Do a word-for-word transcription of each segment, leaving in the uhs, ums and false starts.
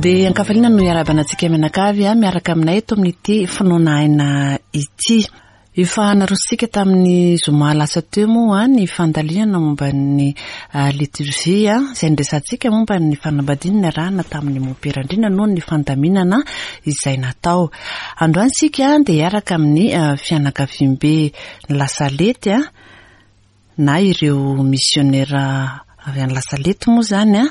Dia ankafaliana no iarahabana antsika mianakavy a miaraka aminay eto amin'ity Finoana Aina ity. Efa narosontsika tamin'ny zoma lasa teo moa ny fandalinana momba ny liturgie izay niresahantsika momba ny fanambadiana niarahana tamin'ny mompera Andriana noho ny fandaminana izay natao. Androany isika dia hiaraka amin'ny fianakaviambe ny Lasalety na ireo misionera avy any Lasalety moa izany a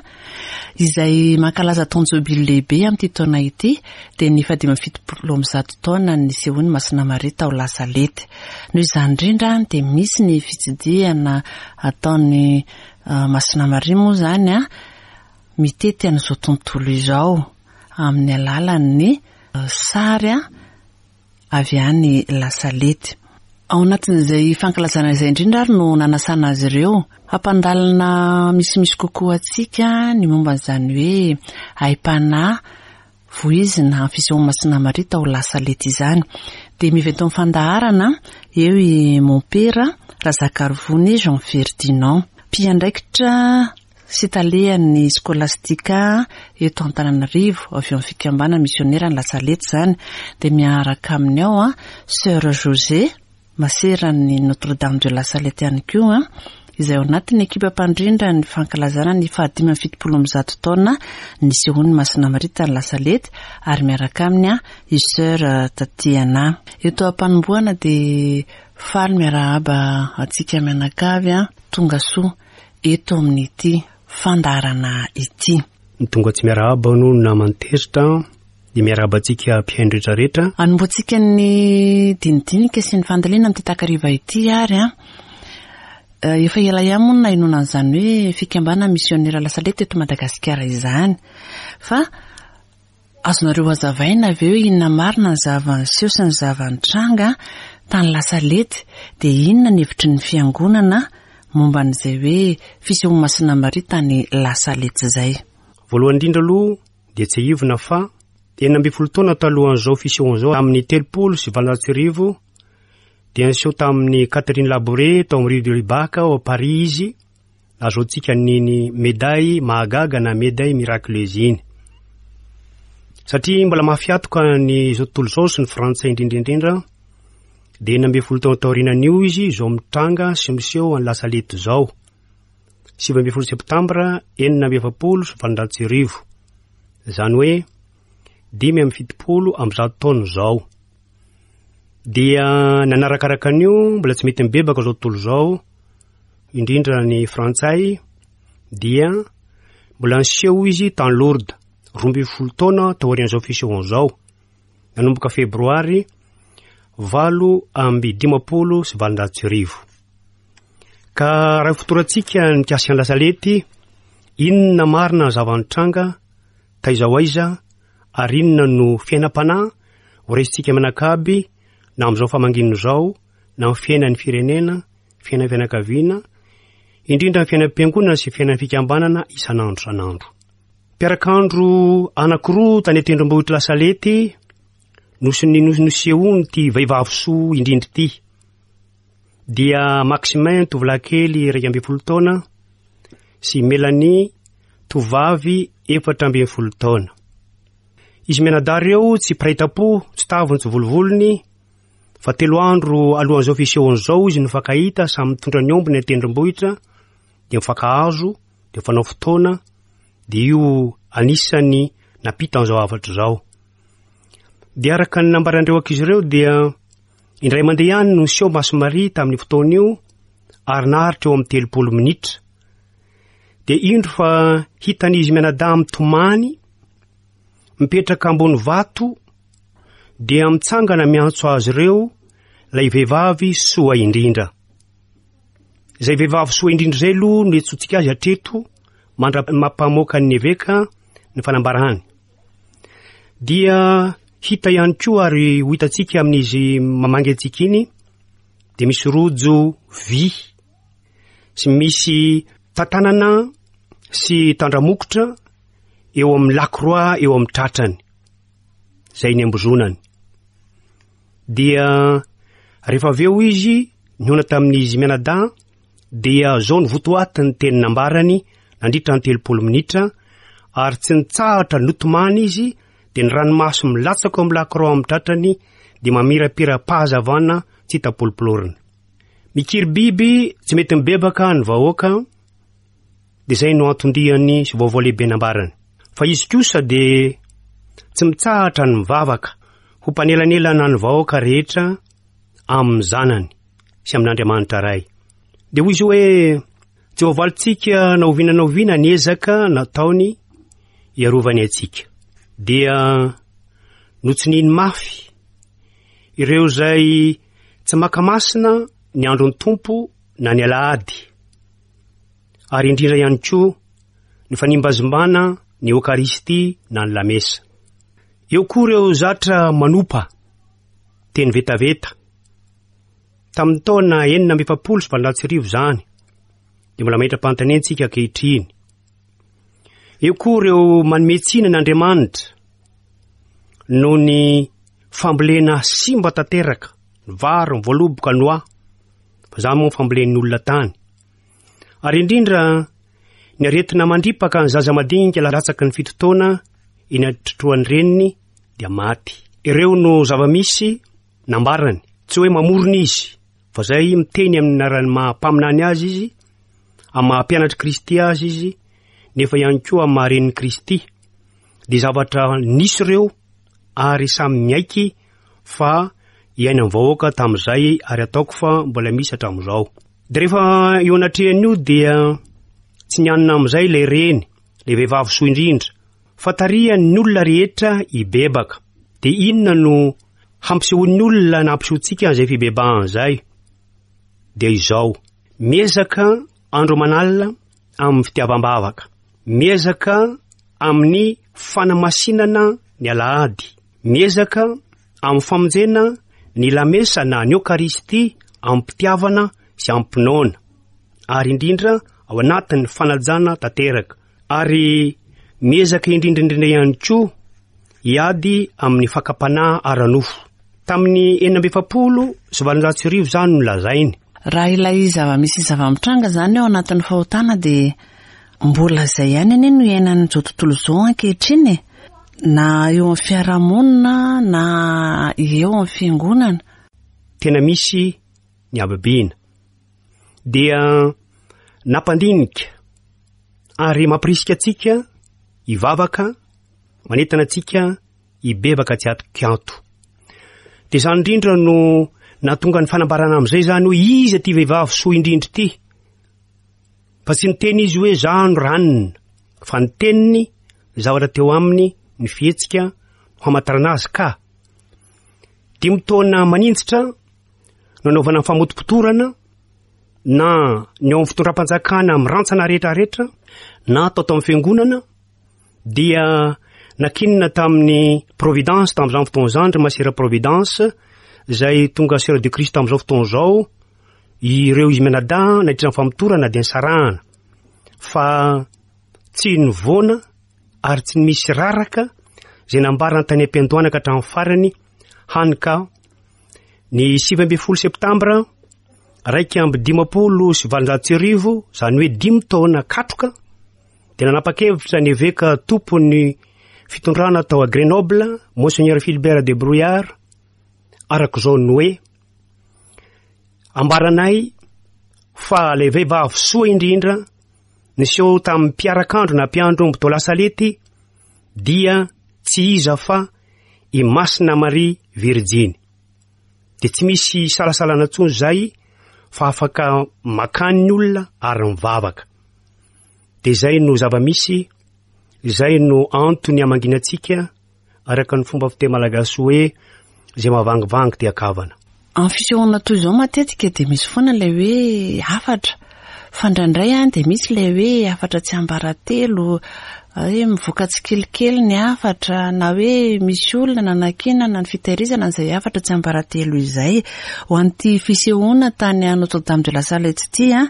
izay mankalaza taon-jobily lehibe amin'ity taona ity, dia ny fahadimy amby fitopolo amby zato taona nisehoan'ny Masina Maria tao Lasalety. Noho izany indrindra dia misy ny fitsidihana ataon'ny Masina Maria moa izany a mitety an'izao tontolo izao amin'ny alalan'ny sary avy any Lasalety. Ao anatin'izay fankalazana izay indrindra ary no nanasana azy ireo hampandalina misimisy kokoa antsika ny momba an'izany hoe aim-panahy voizina amin'ny fisehoan'ny Masina Maria tao Lasalety izany. Dia miveto amin'ny fandaharana eo i Mompera Razakarivony Jean Ferdinand, mpiandraikitra sy talehan'ny Skolastika eto Antananarivo avy eo amin'ny fikambanana misionera ny Lasalety izany. Dia miaraka aminy ao a Sœur José, maseran'ny Notre-Dame de la Salette ihany koa, izay ao anatin'ny ekipa mpandrindra ny fankalazana ny fahadimy amby fitopolo amby zato taona nisehoan'ny Masina Maria tany Lasalety, ary miaraka aminy i Sœur Tatiana. Eto am-panombohana dia faly miarahaba antsika mianakavy tonga soa eto amin'ity fandaharana ity. Ny tonga tsy miarahaba no naman'ny tezitra, dia miarahaba antsika mpihaino rehetrarehetra. Anombohantsika ny dinidinika sy ny fandalina amin'ity takariva ity ary a efa ela ihany moa no nahenoana an'izany hoe fikambanana misionera Lasalety eto Madagasikara izany. Fa azonareo hazavaina avy eo inona marina ny zava-niseho sy ny zava-nitranga tany Lasalety, dia inona ny hevitry ny fiangonana momba an'izay hoe fisehoan'ny Masina Maria tany Lasalety izay. Voalohany indrindra aloha dia tsiahivina fa enina ambin'ny folo taona talohan'izao fisehoan'izao amin'ny telopolo sy valonjato sy arivo dia niseho tamin'ny Catherine Labouré tao amin'ny rue de Laubach ao Paris izy, nahazoantsika niny médaille mahagaga na médaille miraculeuse iny. Satria mbola mafy atoka ny izao tontolo izao sy ny frantsay indrindra indrindra, dia enina ambin'ny folo taona taorianan'io izy izao mitranga sy miseho any Lasalety izao. Sivy ambin'ny folo septambra enina amby efapolo sy valonjato sy arivo. Izany hoe dimy amby fitopolo amby zato taona izao. Dia nanarakaraka an'io mbola tsy mety mibebaka izao tontolo izao, indrindra ny frantsay, dia mbola niseho izy tany Lourdes roa ambin'ny folo taona taorian'izao fisehoan'izao, nanomboka febroary valo amby dimampolo sy valonjato sy arivo. Ka raha fotorantsika nikasika ny Lasalety, inona marina ny zava-nitranga, taiza ho aiza, ary inona no fiainam-panahy ho raisintsika mianakaby na amin'izao famangiana izao, na amin'ny fiainan'ny firenena, fiainan'ny fianakaviana, indrindra ny fiainam-piangonana sy fiainan'ny fikambanana isan'andro isan'andro. Mpiarak'andro anankiroa tany an-tendrombohitra Lasalety no sy ny nosehoan'ity vehivavy soa indrindra ity. Dia Maximin tovolahy kely iraika ambin'ny folo taona sy Mélanie tovovavy efatra ambin'ny folo taona. Izy mianadahy ireo tsy mpiray tampo, tsy taviny tsy volovolony, fa telo andro alohan'izao fisehoan'izao izy nifankahita, samy mitondra ny ombiny an-tendrombohitra, dia mifankahazo, dia mifanao fotoana, dia io anisan'ny nampita an'izao hafatra izao. Dia araka ny nambaran'ireo ankizy ireo dia indray mandeha ihany no niseho Masina Maria tamin'ny fotoana io ary naharitra eo amin'ny telopolo minitra. Dia indro fa hitan'izy mianadahy mitomany, mipetraka ambony vato, dia mitsangana miantso azy ireo ilay vehivavy soa indrindra. Izay vehivavy soa indrindra izay aloha no iantsoantsika azy hatreto mandra-mampamoaka ny eveka ny fanambarany. Dia hita ihany koa ary ho hitantsika amin'izy mamangy antsika iny, dia misy rojo vy sy misy tantanana sy tandramokotra eo amin'ny lakroa eo amin'ny tratrany, izay ny ambozonany. Dia rehefa avy eo izy nihaona tamin'izy mianadahy, dia zao ny votoatin'ny teny nambarany nandritra ny telopolo minitra ary tsy nitsahatra notomany izy, dia ny ranomaso milatsaka ao amin'ny lakroa amin'ny tratrany dia mamirapira-pahazavana tsy hita polopolorina. Mikiry biby tsy mety mibebaka ny vahoaka, dia izay no anton-diany sy vaovao lehibe nambarany. Fa izy kosa dia tsy mitsahatra ny mivavaka ho mpanelanelana ny vahoaka rehetra amin'ny zanany sy amin'Andriamanitra Ray. Dia hoy izy hoe tsy voavalintsika na oviana na oviana ny ezaka nataony hiarovany antsika. Dia notsininy mafy ireo izay tsy maka masina ny andron'ny Tompo na ny alahady, ary indrindra ihany koa ny fanimbazimbana ny Eokaristia na ny lamesa. Eo koa ireo zatra manopa teny vetaveta. Tamin'ny taona enina amby efapolo sy valonjato sy arivo izany, dia mbola mametra-panontaniana antsika ankehitriny. Eo koa ireo manome tsiny an'Andriamanitra noho ny fambolena simba tanteraka, ny vary, ny voaloboka, ny oa, fa izany moa ny fambolen'ny olona tany. Ary indrindra ny aretina mandripaka ny zaza madinika latsaky ny fito taona eny an-trotroan'ny reniny dia maty. Ireo no zava-misy nambarany, tsy hoe mamorona izy, fa izay miteny amin'ny anaran'ny maha mpaminany azy izy, amin'ny maha mpianatr'i Kristy azy izy, nefa ihany koa amin'ny maha renin'i Kristy. Dia zavatra nisy ireo ary samy miaiky fa iainan'ny vahoaka tamin'izay, ary ataoko fa mbola misy hatramin'izao. Dia rehefa eo anatrehan'io dia tsy nianina amin'izay ilay reny, ilay vehivavy soa indrindra, fa tarihan'ny olona rehetra hibebaka. Dia inona no hampisehoan'ny olona na hampisehoantsika an'izay fibebahana izay? Dia izao, miezaka andro aman'alina amin'ny fitiavam-bavaka, miezaka amin'ny fanamasinana ny alahady, miezaka amin'ny famonjena ny lamesa na ny Eokaristia amin'ny-pitiavana sy amin'ny-pinoana, ary indrindra ao anatin'ny fanajana tanteraka, ary miezaka indrindra indrindra ihany koa hiady amin'ny fakam-panahy ara-nofo. Tamin'ny enina amby efapolo sy valonjato sy arivo izany no lazainy. Raha ilay zava-misy zava-mitranga izany ao anatin'ny fahotana dia mbola izay ihany anie no iainan'izao tontolo izao ankehitriny e. Na eo amin'ny fiarahamonina na eo amin'ny fiangonana. Tena misy ny habibiana. Dia nampandinika ary mampirisika antsika hivavaka, manentana antsika hibebaka tsy atokianto. Dia izany indrindra no nahatonga ny fanambarana amin'izay izany hoe iza ity vehivavy soa indrindra ity. Fa tsy niteny izy hoe za no ranona, fa ny teniny, ny zavatra teo aminy, ny fihetsika no hamantarana azy ka. Dimy taona maninjitra no nanaovana ny famotopotorana na ny ao amin'ny fitondram-panjakana mirantsana rehetrarehetra na atao tao amin'ny fiangonana, dia nakinina tamin'ny Providence tamin'izany fotoana izany, ry Masera Providence, izay tonga Sœur de Christ tamin'izao fotoana izao, ireo izy mianadahy nandritra ny famotorana dia nisarahana, fa tsy nivoana ary tsy misy raraka izay nambarany tany am-piandohana ka hatramin'ny farany, hany ka ny sivy ambin'ny folo septambra raika amby dimampolo sy valonjato sy arivo, izany hoe dimy taona katroka, dia nanapa-kevitra ny eveka tompon'ny fitondrana tao a Grenoble, Monseigneur Philibert de Bruillard, araka izao ny hoe ambaranay fa ilay vehivavy soa indrindra niseho tamin'ny mpiarakandro na mpiandro omby tao La Salette dia tsy iza fa i Masina Maria Virjiny. Dia tsy misy salasalana intsony izay fa afaka makany ny olona ary mivavaka. Dia izay no zava-misy, izay no antony hamangiana antsika araka ny fomba fiteny malagasy hoe izay mahavangivangy dia kavana. Amin'ny fisehoana toy izao matetika dia misy foana ilay hoe hafatra, fa indraindray any dia misy ilay hoe hafatra tsy ambaratelo, hoe mivoaka tsikelikely ny hafatra, na hoe misy olona nanakinana ny fitahirizana an'izay hafatra tsy ambaratelo izay. Ho an'ity fisehoana tany Notre-Dame de la Salette ity, a,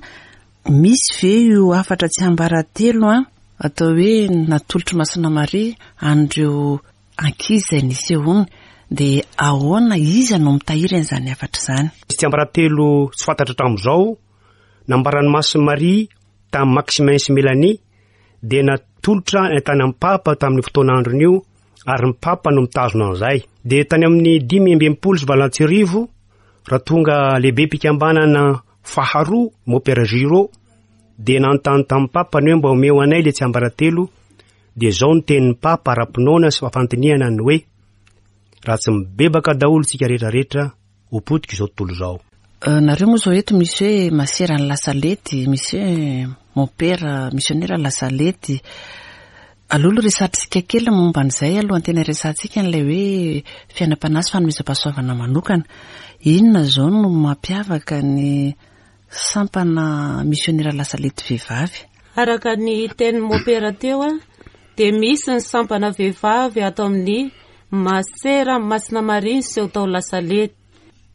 misy ve io hafatra tsy ambaratelo a, atao hoe natolotry Masina Maria an'ireo ankizy izay nisehoany, dia ahoana iza no mitahiry an'izany hafatra izany? Tsy tsiambaratelo tsy fantatra hatramin'izao, nambaran'i Masina Maria tamin'i Maximin sy Mélanie dia natolotra tany amin'ny Papa tamin'ny fotoan'androny io, ary ny Papa no mitazona an'izay. Dia tany amin'ny dimy amby enimpolo sy valonjato sy arivo, raha tonga lehibe mpikambanana faharoa Mopera Giraud, dia nanontany tamin'ny Papa ny hoe mba omeo anay le tsiambaratelo. Dia izao ny tenin'ny Papa ara-pinoana sy fandinihana ny hoe raha tsy mibebaka daholo tsika rehetrarehetra, ho potika izao tontolo izao. Nareo moa izao eto misy hoe maseran'ny Lasalety, misy hoe mopera misionera Lasalety. Aloha aloha resahantsika kely momba an'izay alohan'ny tena resahantsika an'ilay hoe fiainam-panahy sy fanomezam-pahasoavana manokana. Inona izao no mampiavaka ny sampana misionera Lasalety vehivavy? Araka ny tenin'ny mopera teo, dia misy ny sampana vehivavy ato amin'ny Masera Masina Maria niseho tao Lasalety.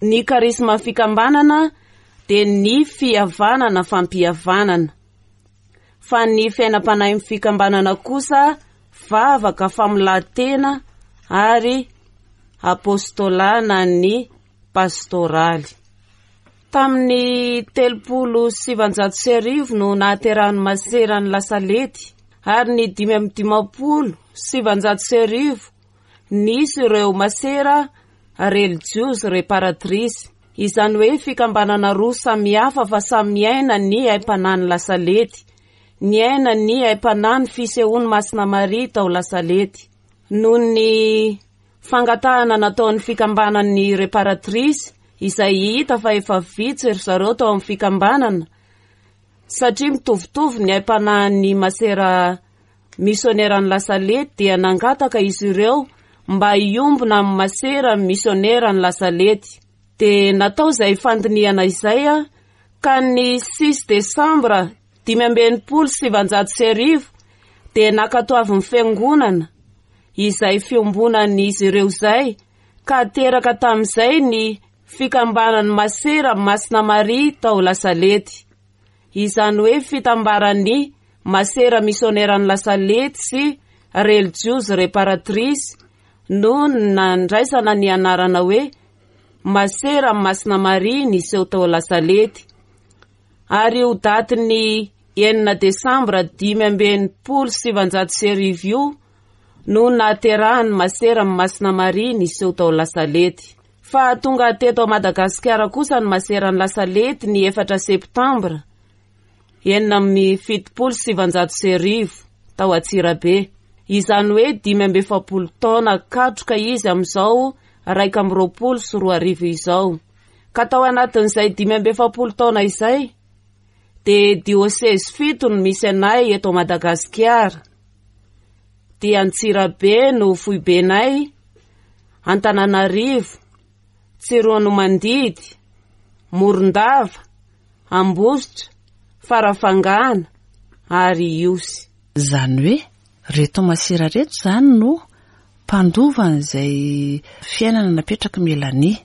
Ny karisma fikambanana dia ny fihavanana fampihavanana. Fa ny fiainam-panahin'ny fikambanana kosa vavaka famolan-tena ary apostola na ny pastoraly. Tamin'ny telopolo sy sivanjato sy arivo no nahaterahan'ny maseran'ny Lasalety, ary ny dimy amby dimampolo sy sivanjato sy arivo nisy ireo masera relijiozy réparatrice, izany hoe fikambanana roa samihafa fa samy miaina ny aim-panahin'ny Lasalety, niaina ny aim-panahin'ny fisehoan'ny Masina Maria tao Lasalety. Noho ny fangatahana nataon'ny fikambanan'ny réparatrice, izay hita fa efa vitsy ry zareo tao amin'ny fikambanana, satria mitovitovy ny aim-panahin'ny masera misioneran'ny Lasalety, dia nangataka izy ireo mba hiombona amin'ny masera misioneran'ny Lasalety. Dia natao izay fandinihana izay, ka ny six desambra dimy amby enimpolo sy sivanjato sy arivo dia nankatoavin'ny fiangonana izay fiombonan'izy ireo izay, ka teraka tamin'izay ny fikambanan'ny masera Masina Maria tao Lasalety. Izany hoe fitambaran'ny masera misioneran'ny Lasalety sy relijiozy réparatrice no nandraisana ny anarana hoe Masera Masina Maria niseho tao Lasalety. Ary io datin'ny enina desambra dimy amby enimpolo sy sivanjato sy arivo io no nahaterahan'ny masera Masina Maria niseho tao Lasalety. Fa tonga teto Madagasikara kosa ny maseran'ny Lasalety ny efatra septambra enina amby fitopolo sy sivanjato sy arivo tao Antsirabe. Izany hoe dimy amby efapolo taona katroka izy amin'izao raika amby roapolo sy roa arivo izao. Ka tao anatin'izay dimy amby efapolo taona izay dia diosezy fito no misy anay eto Madagasikara. Dia Antsirabe no foibenay, Antananarivo, Tsiroanomandidy, Morondava, Ambositra, Farafangana ary Ihosy. Izany hoe reto masera reto izany no mpandova an'izay fiainana napetraky Mélanie.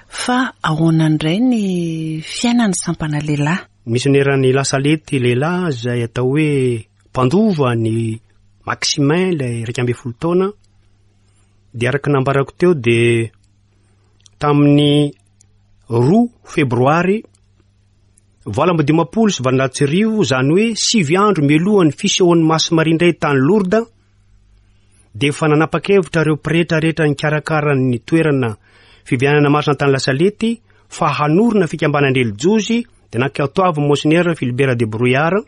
Fa ahoana indray ny fiainan'ny sampana lehilahy? Misioneran'ny Lasalety lehilahy izay atao hoe mpandova ny Maximin ilay iraika ambin'ny folo taona, dia araka nambarako teo dia tamin'ny roa febroary valo amby dimampolo sy valonjato sy arivo, izany hoe sivy andro mialohan'ny fisehoan'ny Masina Maria indray tany Lourdes, dia efa nanapa-kevitra ireo pretra rehetra nikarakara ny toerana fivianana masina tany Lasalety fa hanorina fikambanan-drelijiozy. Dia nankatoavin'ny Monseigneur Philibert de Brouillard,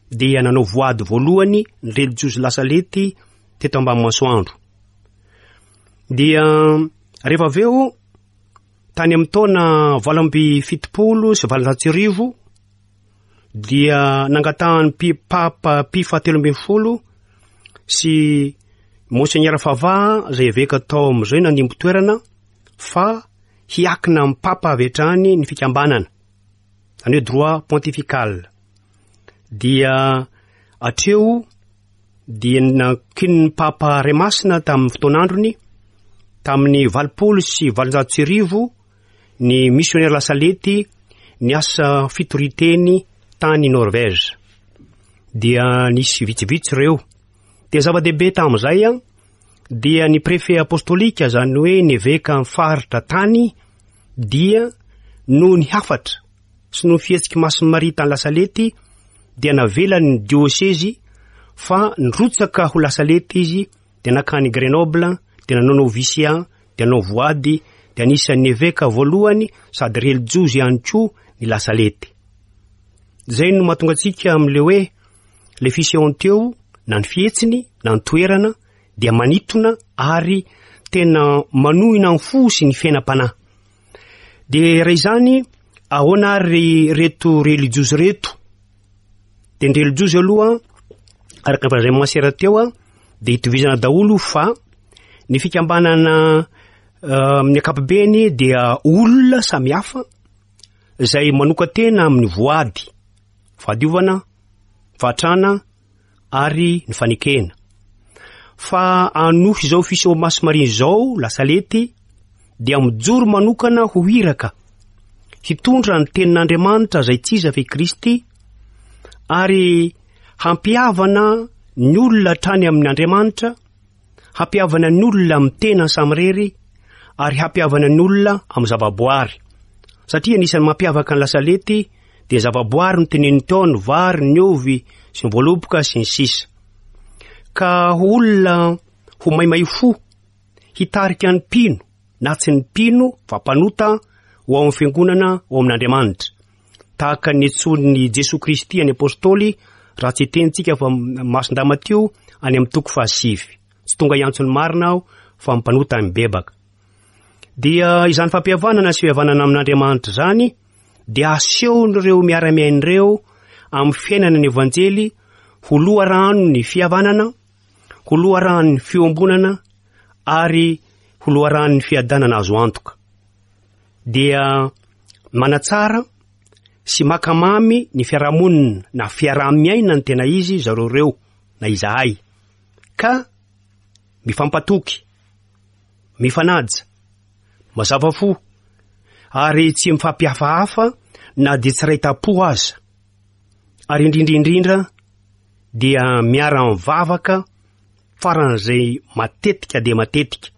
dia nanao voady voalohany ny relijiozy Lasalety teto ambany masoandro. Dia rehefa avy eo tany amin'ny taona valo amby fitopolo sy valonjato sy arivo dia nangatahan'ny pi-, Papa Pie fahatelo ambin'ny folo sy Monseigneur Favard izay eveka tao amin'izay nandimby toerana fa hiakina amin'ny Papa avy hatrany ny fikambanana, izany hoe droit pontifical. Dia hatreo dia nankinin'ny Papa Ray Masina tamin'ny fotoan'androny tamin'ny valopolo sy valonjato sy arivo ny missionnaire Lasalety niasa fitoriteny tany Norvège. Dia nisy vitsivitsy ireo. Dia zava-dehibe tamin'izay a, dia ny préfet apostolika, izany hoe ny eveka amin'ny faritra tany, dia noho ny hafatra sy noho ny fihetsiky Masina Maria tany Lasalety dia navelany ny diosezy fa nirotsaka ho Lasalety izy, dia nankany Grenoble, dia nanao novisiat, dia nanao voady, dia anisan'ny eveka voalohany sady relijiozy ihany koa ny Lasalety. Izay no mahatonga antsika amin'ilay hoe le fisehoany teo, na ny fihetsiny, na ny toerana, dia manintona ary tena manohina ny fo sy ny fiainam-panahy. Dia raha izany, ahoana ary reto relijiozy reto? Dia ny relijiozy aloha, araka ny voalazan'ny masera teo, dia itovizana daholo fa ny fikambanana amin'ny ankapobeny dia olona samihafa izay manokan-tena amin'ny voady, fahadiovana, fahatrana ary ny fanekena. Fa anohy izao fiseho Maso Maria izao, Lasalety, dia mijoro manokana ho iraka hitondra ny tenin'Andriamanitra izay tsy iza fa i Kristy, ary hampihavana ny olona hatrany amin'ny Andriamanitra, hampihavana ny olona amin'ny tenany samirery, ary hampihavana ny olona amin'ny zavaboary. Satria anisan'ny mampiavaka ny Lasalety dia zavaboary no teneniny teo, ny vary, ny ovy sy ny voaloboka sy ny sisa. Ka ho olona ho maimay fo, hitarika ny mpino na tsy ny mpino fa mpanota ho ao amin'ny fiangonana, ho ao amin'Andriamanitra. Tahaka ny nantsoin'i Jesoa Kristy any Apôstôly, raha tsy tenintsika fa Masindahy Matio any amin'ny toko fahasivy. Tsy tonga hiantso ny marina aho fa mpanota mibebaka. Dia izany fampihavanana sy fihavanana amin'Andriamanitra izany dia asehon'ireo miara-miaina ireo amin'ny fiainana ny Evanjely ho loharano ny fihavanana, ho loharano ny fiombonana ary ho loharano ny fiadanana azo antoka. Dia manatsara sy makamamy ny fiarahamonina na fiaraha-miaina ny tena izy zareo ireo na izahay, ka mifampatoky, mifanaja, mazava fo ary tsy mifampihafahafa na dia tsy ray tam-po aza, ary indrindra indrindra dia miara-mivavaka faran'izay matetika dia matetika,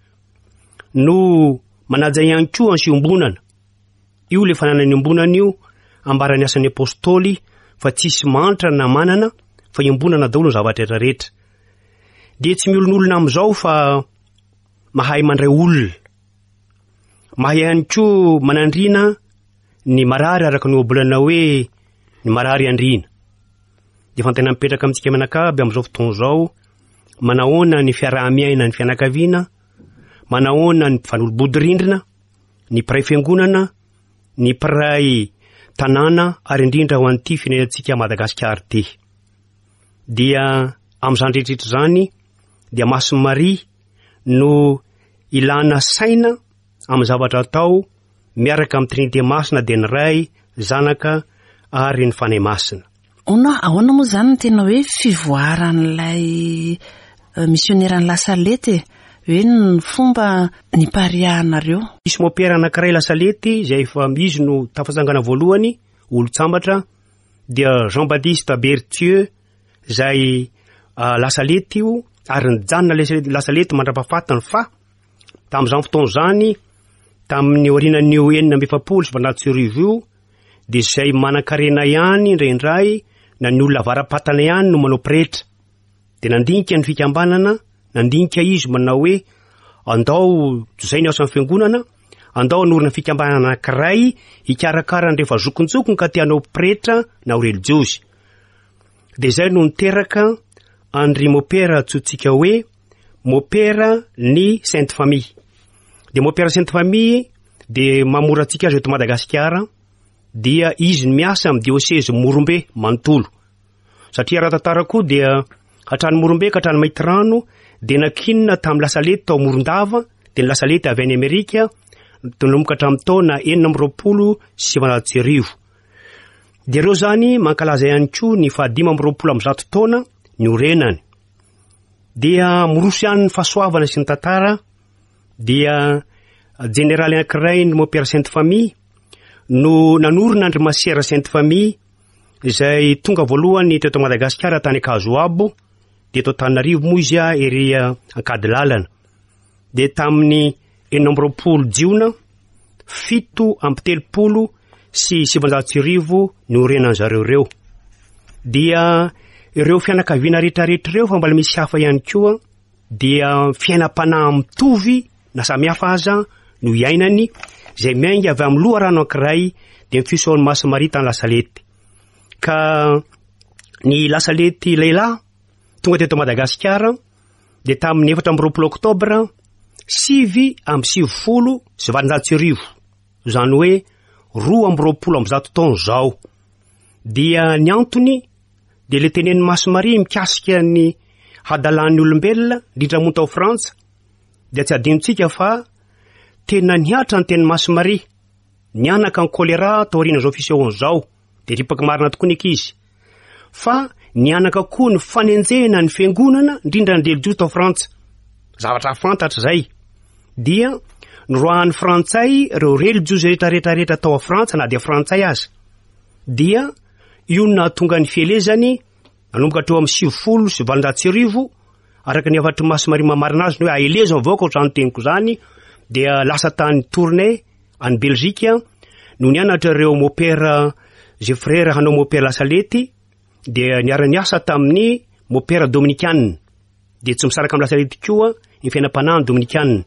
no manaja ihany koa ny fiombonana. Io le fananany iombonana io ambaran'ny asan'ny apôstôly fa tsisy mantra na manana fa iombonana daholo ny zavatra rehetra rehetra. Dia tsy miolonolona amin'izao fa mahay mandray olona, mahay ihany koa manandriana ny marary araka ny ohabolana hoe ny marary andriana. Dia fantena mipetraka amintsika mianakavy amin'izao fotoana izao, manahoana ny fiaraha-miaina ny fianakaviana, manahoana ny mpifanolo-bodirindrina, ny mpiray fiangonana, ny mpiray tanàna ary indrindra ho an'ity firenentsika Madagasikara ity. Dia amin'izany rehetrarehetra izany dia Masin'i Maria no ilana saina amin'ny zavatra atao miaraka amin'ny Trinité Masina, dia ny Ray, Zanaka ary ny Fanahy Masina. Ono, ahoana moa izany ny tena hoe fivoaran'ilay misioneran'ny Lasalety e? Hoe ny fomba nipariahanareo? Misy mopera anankiray Lasalety izay efa izy no tafatsangana voalohany, olon-tsambatra, dia Jean-Baptiste Berthieu izay Lasalety io, ary nijanona Lasalety mandra-pahafatiny fa tamin'izany fotoana izany, tamin'ny aorianan'io enina amby efapolo sy valonjato sy arivo io, dia izay manan-karena ihany indraindray na ny olona avara-patana ihany no manao pretra. Dia nandinika ny fikambanana, nandinika izy manao hoe andao izay ny asan'ny fiangonana, andao hanorina fikambanana anankiray hikarakara ny rehefa zokinjokiny ka te hanao pretra na ho relijiozy. Dia izay no niteraka Andry Mopera antsointsika hoe Mopera ny Sainte Famille. Dia Mopera Sainte Famille dia mamora antsika azy eto Madagasikara, dia izy no miasa amin'ny diôsezy Morombe manontolo. Satria raha tantara koa dia hatrany Morombe ka hatrany Maintirano dia nakinina tamin'ny Lasalety tao Morondava, dia ny Lasalety avy any Amerika nanomboka hatramin'ny taona enina amby roapolo sy sivanjato sy arivo. Dia ireo zany mankalaza ihany koa ny fahadimy amby roapolo amby zato taona niorenany. Dia miroso ihany ny fahasoavana sy ny tantara, dia jeneraly anankiray ny Mopera Sainte Famille no nanorina andry Masera Sainte Famille izay tonga voalohany teto Madagasikara tany Ankazoabo, dia eto Antananarivo moa izy a ery Ankadilalana. Dia tamin'ny enina amby roapolo jiona fito amby telopolo sy sivanjato sy arivo niorenany zareo ireo. Dia ireo fianakaviana rehetrarehetra ireo, fa mbola misy hafa ihany koa, dia fiainam-panahy mitovy na samihafa aza no iainany, izay miainga avy amin'ny loharano anankiray, dia ny fisehoan'i Masina Maria tany La Salette. Ka ny La Salette lehilahy tonga teto Madagasikara dia tamin'ny efatra amby roapolo oktobra sivy amby sivifolo sy valonjato sy arivo, izany hoe roa amby roapolo amby zato taona izao. Dia ny antony dia le tenenin'i Masina Maria mikasika ny hadalan'ny olombelona, indrindra moa tao Frantsa, dia tsy adinontsika fa tena nihatra ny tenin'i Masina Maria, nianaka ny kolera taorian'izao fisehoana izao, dia ripaka marina tokoa ny ankizy. Fa nianaka koa ny fanenjehana ny fiangonana, indrindra ny relijiozy tao Frantsa. Zavatra fantatra izay. Dia noroahan'ny Frantsay ireo relijiozy rehetra rehetra tao Frantsa, na dia Frantsay aza. Dia io no nahatonga ny fielezany nanomboka hatreo amin'ny sivifolo sy valonjato sy arivo, araka ny hafatry Masina Maria mamarina azy, ny hoe aelezo ny vahoaka ohatr'izany teniko izany, dia lasa tany Tournai any Belgique no nianatra ireo mopera zay frère hanao mopera La Salette, dia niara-niasa tamin'ny mopera dominikana. Dia tsy misaraka amin'ny La Salette koa ny fiainam-panahy dominikana.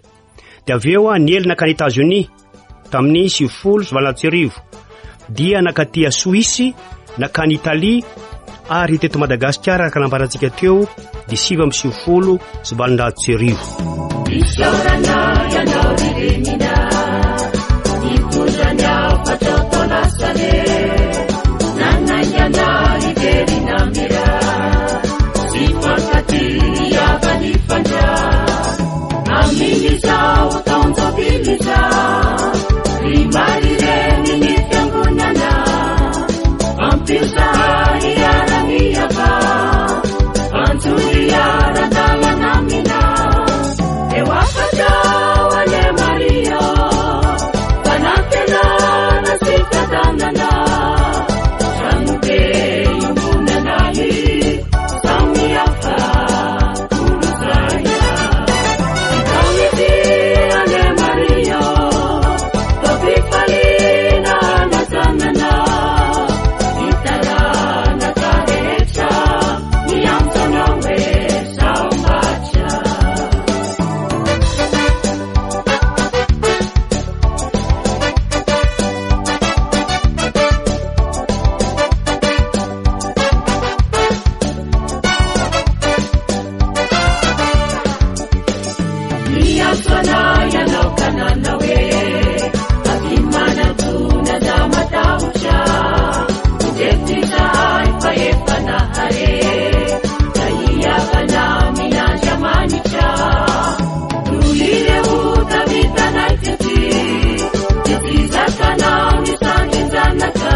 Dia avy eo niely nankany États-Unis tamin'ny sivifolo sy valonjato sy arivo, dia nankaty Suisse, nankany Italie, ary teto Madagasikara araka nambarantsika teo dia sivy amby sivifolo sy valonjato sy arivo. Isaorana ianao ry Renina, nitondra ny hafatra tao La Salette, nanaingana hiverina mira, sy fankatia havanifandra. Amin'izao taon-jobily izao, ry Maria Reny ny fiangonana, ampio zahay hiara-miava, anjohy hiara-dalana aminao. Eo afaka ho ane Maria, fanantenana sy fiadanana, tranobe iombonanay, samy hafa kolosaina. Itaoity ane Maria, tompifaliana anazanana, itaranaka rehetra, miantso anao hoe sambatra. Miantso anay ianao ka nanao hoe, avy manatona za matahotra, indreto izahay fa efa nahare, ka hihavana amin'Andriamanitra. Noho ireo tavitanay tety, dia tsy zakanao ny sandrin-janaka.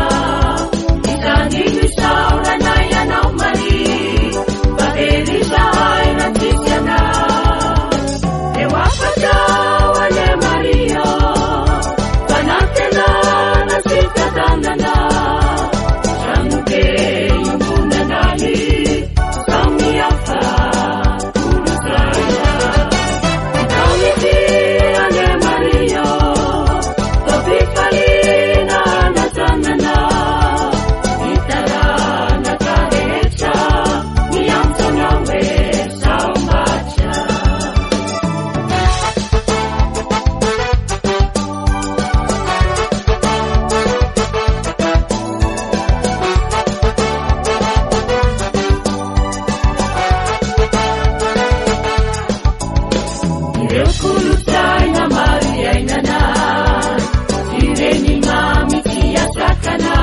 Izany no isaoranay anao Maria, fa very izahay raha tsisy anao. Eo afaka ho ane Maria, fanantenana sy fiadanana, tranobe iombonanay, samy hafa kolosaina. Itaoity ane Maria, tompifaliana anazanana, itaranaka rehetra, miantso anao hoe sambatra. Ireo kolontsaina maro iainana, ireny mamy tsy asakana,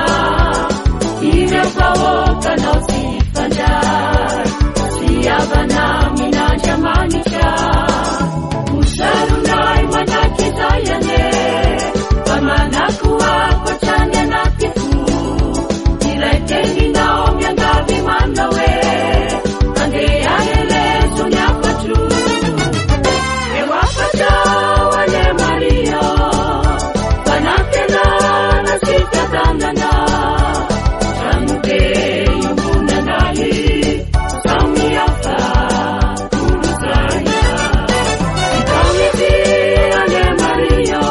ireo vahoakanao tsy hifandray, tsy havana amin'Andriamanitra. Ho saronay mandrakizay anie, fa manakoako hatrany anaty fo, ilay teninao miangavy manao hoe, andeha helezo ny hafatro. Eo afaka ho ane Maria, fanantenana sy fiadanana, tranobe iombonanay, samy hafa kolosaina. Itaoity ane Maria,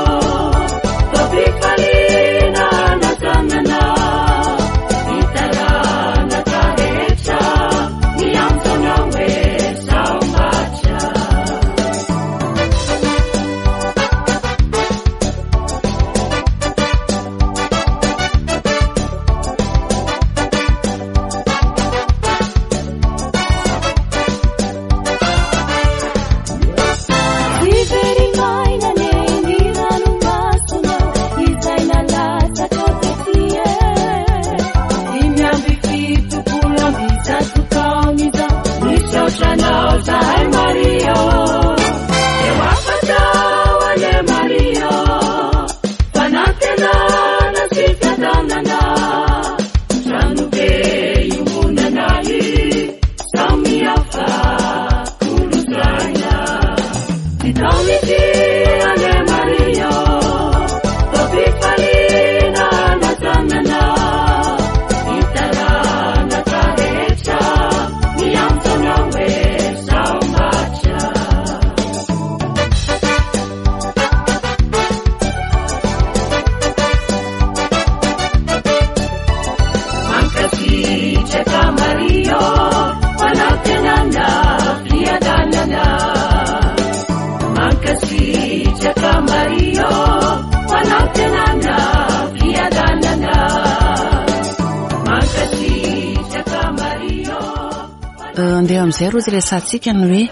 Andeha amin'izay roa resahantsika ny hoe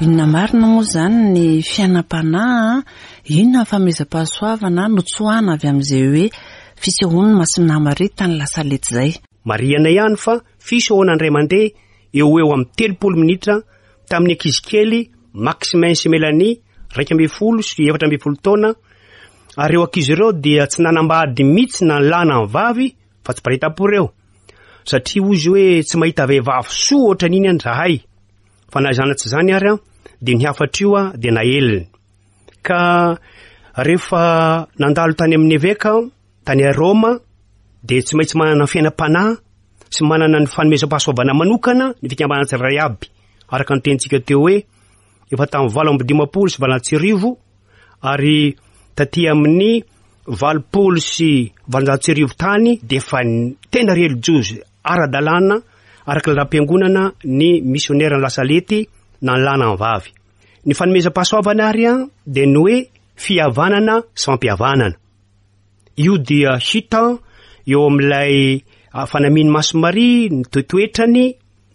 inona marina moa izany ny fiainam-panahy, inona ny fanomezam-pahasoavana notsoahana avy amin'izay hoe fisehoan'ny Masina Maria tany La Salette izay. Marihana ihany fa fisehoana indray mandeha eo ho eo amin'ny telopolo minitra tamin'ny ankizy kely Maximin sy Mélanie iraika ambin'ny folo sy efatra ambin'ny folo taona, ary ireo ankizy ireo dia tsy nanambady mihitsy na ny lahy na ny vavy fa tsy mpiray-tampo ireo, satria hoy izy hoe tsy mahita vehivavy soa ohatran'iny any zahay, fa na izany na tsy izany ary dia ny hafatra io dia naeliny. Ka rehefa nandalo tany amin'ny eveka tany Roma dia tsy maintsy manana fiainam-panahy sy manana ny fanomezam-pahasoavana manokana ny fikambanana tsirairay aby, araka ny tenintsika teo hoe efa tamin'ny valo amby dimampolo sy valonjato sy arivo ary taty amin'ny valopolo sy valonjato sy arivo tany dia efa tena relijiozy ara-dalàna araka ny lalam-piangonana ny misionera ny Lasalety na ny lahy na ny vavy. Ny fanomezam-pahasoavana ary dia ny hoe fihavanana sy fampihavanana. Io dia hita eo amin'ilay fanamian'i Masina Maria, ny toetoetrany,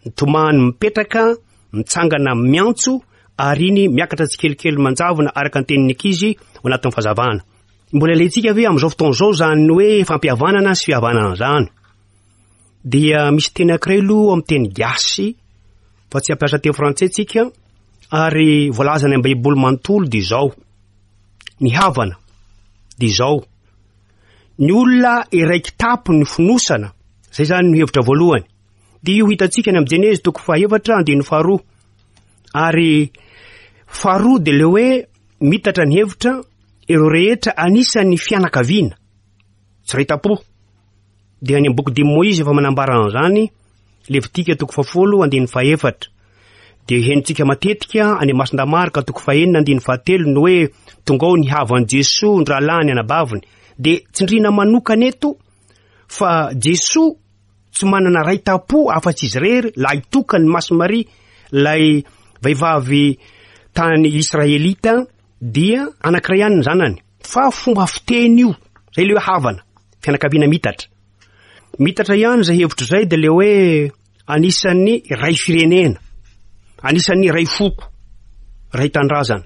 ny tomany mipetraka, mitsangana miantso, ary iny miakatra tsikelikely manjavona araka ny tenin'ny ankizy ao anatin'ny fahazavana. Mbola ilaintsika ve amin'izao fotoana izao izany hoe fampihavanana sy fihavanana izany? Dia misy teny anankiray aloha amin'ny teny gasy fa tsy hampiasa teny frantsay tsika, ary voalazany amin'ny Baiboly manontolo dia izao: ny havana dia izao, ny olona iray kitapo ny fonosana, zay zany no hevitra voalohany. Dia io hitantsika any amin'ny Jenezy toko fahaefatra andininy faharoa, ary faharoa dia le hoe mitatra ny hevitra ireo rehetra anisan'ny fianakaviana tsy iray tampo. Dia any amin'ny boky dimy Moizy efa manambara an'izany, Levitika toko fahafolo andininy fahaefatra. Dia henontsika matetika any Masindahy Marka toko fahenina andininy fahatelo ny hoe tonga ao ny havan'i Jesoa, ny rahalahiny, anabaviny. Dia tsindriana manokana eto fa Jesoa tsy manana ray tampo afa-tsy izy irery, lahy tokany Masina Maria, ilay vehivavy tany Israelita, dia anankiray ihany ny zanany. Fa fomba fiteny io, zay le hoe havana, fianakaviana mitatra. Mitatra ihany izay hevitra izay dia le hoe anisan'ny iray firenena, anisan'ny iray foko, iray tanindrazana.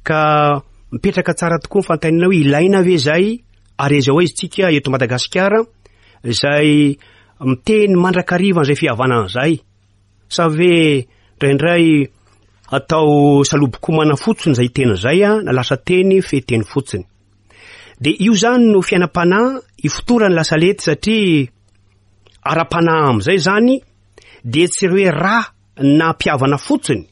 Ka mipetraka tsara tokoa ny fanontaniana hoe ilaina ve izay, ary aiza ho aiza isika eto Madagasikara izay miteny mandrakariva an'izay fihavanana izay, sa ve indraindray atao salobokomana fotsiny izay teny izay, na lasa teny fehiteny fotsiny. Dia io zany no fiainam-panahy ifotoran'ny Lasalety, satria ara-panahy amin'izay zany dia tsy hoe ra na mpihavana fotsiny,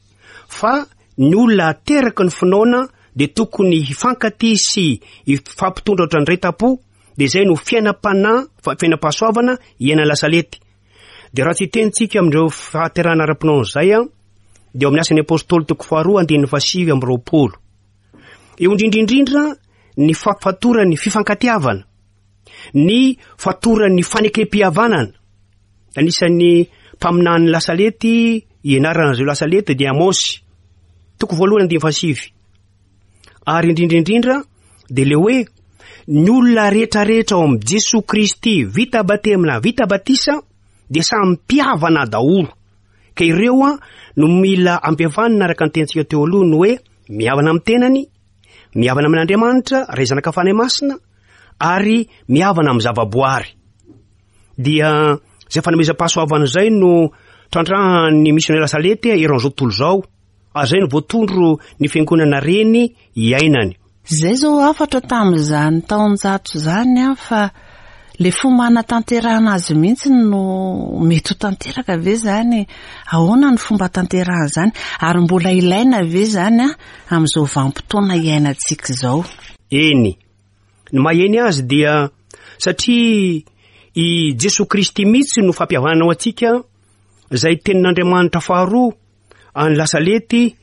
fa ny olona ateraky ny finoana dia tokony hifankatia sy hifampitondra ohatran'ny iray tampo. Dia izay no fiainam-panahy, fa-, fiainam-pahasoavana iainan'ny Lasalety. Dia raha tsy hitenitsika amin'ireo fahaterahana ara-pinoana izay, dia ao amin'ny asan'ny Apôstôly toko faharoa andininy fahasivy amby roapolo. Eo indrindrindrindra ny fa-, fatoran'ny fifankatiavana, ny fatoran'ny fanekem-pihavanana. Anisan'ny mpaminany Lasalety ianaran'izao Lasalety dia Amosy, toko voalohany andininy fahasivy. Ary indrindrindrindra dia le hoe ny olona rehetrarehetra ao amin'i Jesoa Kristy vita batemy na vita batisa dia samy mpihavana daholo. Ka ireo a no mila ampihavanina araka ny tenintsika teo aloha, ny hoe mihavana amin'ny tenany, mihavana amin'Andriamanitra, Ray Zanaka Fanahy Masina, ary mihavana amin'ny zavaboary. Dia izay fanomezam-pahasoavana izay no trandrahan'ny misionera Salety eran'izao tontolo izao, ary izay no voatondro ny fiangonana reny iainany. Izay izao hafatra tamin'izany taonjato izany a, fa le fomba hanatanterahana azy mihitsy no mety ho tanteraka ve izany? Ahoana ny fomba hatanterahana izany? Ary mbola ilaina ve izany a amin'izao vanim-potoana iainantsika izao? Eny, ny maheny azy dia satria i Jesoa Kristy mihitsy no fampihavanana ho antsika, izay tenin'Andriamanitra faharoa any Lasalety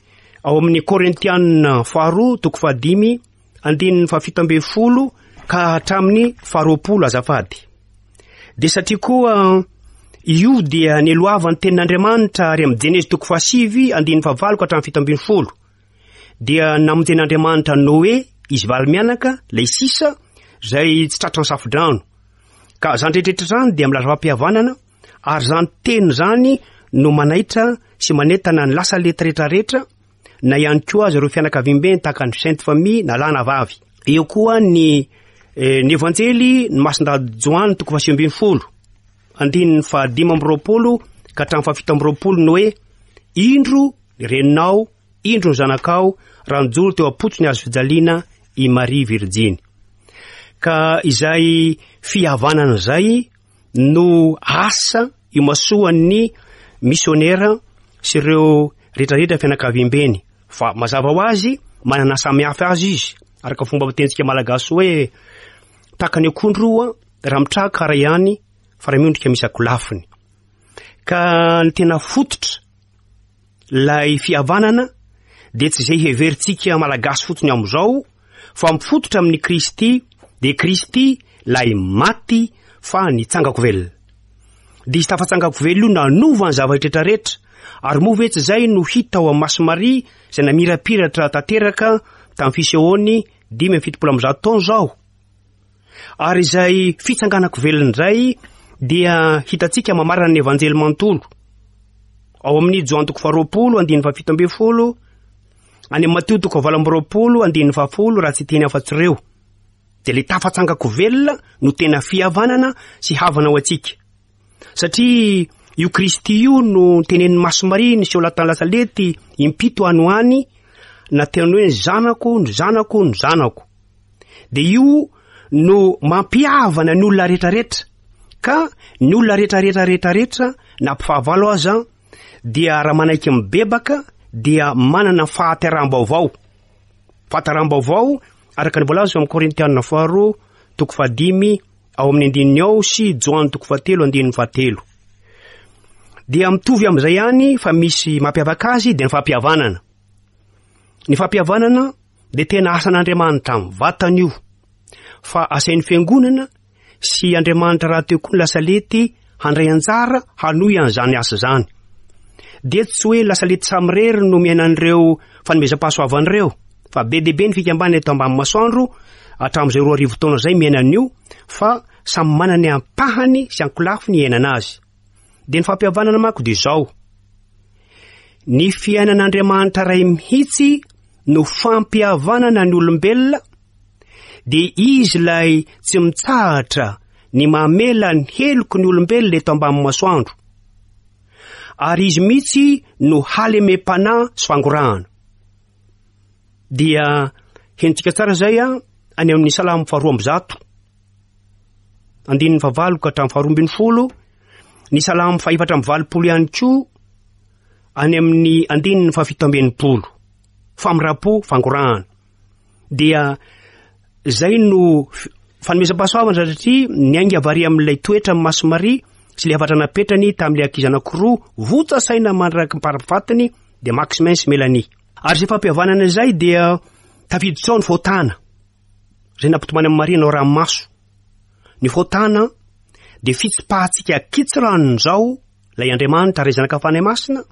ao amin'ny Korintianina faharoa toko fahadimy andininy fahafito ambin'ny folo ka hatramin'ny faharoapolo azafady. Dia satria koa io dia neloavan'ny tenin'Andriamanitra ary amin'ny Jenezy toko fahasivy andininy fahavalo ka hatramin'ny fito ambin'ny folo, dia namonjen'Andriamanitra Noé izy valo mianaka ilay sisa izay tsy tratran'ny safodrano. Ka izany rehetrarehetra izany dia milaza fampihavanana, ary izany teny izany no manaitra sy manentana ny Lasalety rehetrarehetra, na ihany koa aza ireo fianakaviambeny tahaka ny Sainte Famille na lahy na vavy. Eo koa ny ny Evanjely ny Masindahy Joany toko fahasivy ambin'ny folo, andininy fahadimy amby roapolo ka hatramin'ny fahafito amby roapolo ny hoe indro ny reninao, indro ny zanakao, raha nijoro teo am-potony ny hazo fijaliana i Maria Virjiny. Ka izay fihavanana izay no asa imasoan'ny misionera sy ireo rehetrarehetra fianakaviambeny. Fa mazava ho azy, manana samihafa azy izy, araka fomba fitentsika malagasy hoe tahaka ny akondro roa, raha mitraka iray ihany, fa raha miondrika misy akolafiny. Ka ny tena fototra lay fihavanana dia tsy izay heverintsika malagasy fotsiny amin'izao, fa mifototra amin'ny Kristy, dia Kristy lay maty fa nitsangako velona. Dia izy tafatsangako velona io nanova ny zavatra rehetra, ary moa ve tsy izay no hita ao amin'ny Masy Maria izay namirapiratra tanteraka tamin'ny fisehoany dimy amby fitopolo amby zato taona izao. Ary izay fitsanganako velona indray dia hitantsika mamarana ny Evanjely manontolo. Ao amin'ny Joany toko faharoapolo andininy fahafito ambin'ny folo, any amin'ny Matio toko fahavalo amby roapolo andininy fahafolo, raha tsy teny afa-tsy ireo. Dia ilay tafatsangako velona no tena fihavanana sy havana ho antsika. Satria io Kristy io no tenenin'i Masy Maria niseho lahy Lasalety impito any ho any, na teny hoe ny zanako, ny zanako, ny zanako. Dia io no mampihavana ny olona rehetrarehetra. Ka ny olona rehetrarehetra rehetrarehetra na mpifahavalo aza dia raha manaiky mibebaka dia manana fahateraham-baovao. Fahateraham-baovao araka ny voalaza amin'ny Korintianina faharoa toko fahadimy ao amin'ny andininy ao sy Joany toko fahatelo andininy fahatelo. Dia mitovy amin'izay ihany fa misy mampiavaka azy dia ny fampihavanana. Ny fampihavanana dia tena asan'Andriamanitra amin'ny vatany io, fa asain'ny fiangonana sy Andriamanitra rahateo koa ny Lasalety handray anjara hanohy an'izany asa izany. Dia tsy hoe Lasalety samirery no miaina an'ireo fanomezam-pahasoavana ireo, fa be dia be ny fikambanana eto ambany masoandro hatramin'izay roa arivo taona izay miaina an'io, fa samy manana ny ampahany sy ankolafiny iainana azy. Dia ny fampihavanana manko dia izao: ny fiainan'Andriamanitra ray mihitsy no fampihavanana ny olombelona, dia izy ilay tsy mitsahatra ny mamela ny heloky ny olombelona eto ambany masoandro, ary izy mihitsy no halemem-panahy sy fangorahana. Dia henontsika tsara izay a, any amin'ny Salamo faharoa amby zato, andininy fahavalo ka hatramin'ny faharoa ambin'ny folo, ny Salamo fahefatra amby valopolo ihany koa, any amin'ny andininy fahafito amby enimpolo, famindram-po, fangorahana. Dia izay no fanomezam-pahasoavana satria niainga avy ary amin'ilay toetra amin'ny Masy Maria sy ilay hafatra napetrany tamin'ilay ankizy anankiroa votsa saina mandraky mparafatiny dia Maximin sy Mélanie. Ary izay fampihavanana izay dia tafiditra ao ny fahotana izay nampitomany amin'i Maria nao ranomaso. Ny fahotana dia fitsipahantsika kitsirano izao ilay Andriamanitra ray zanaka Fanahy Masina,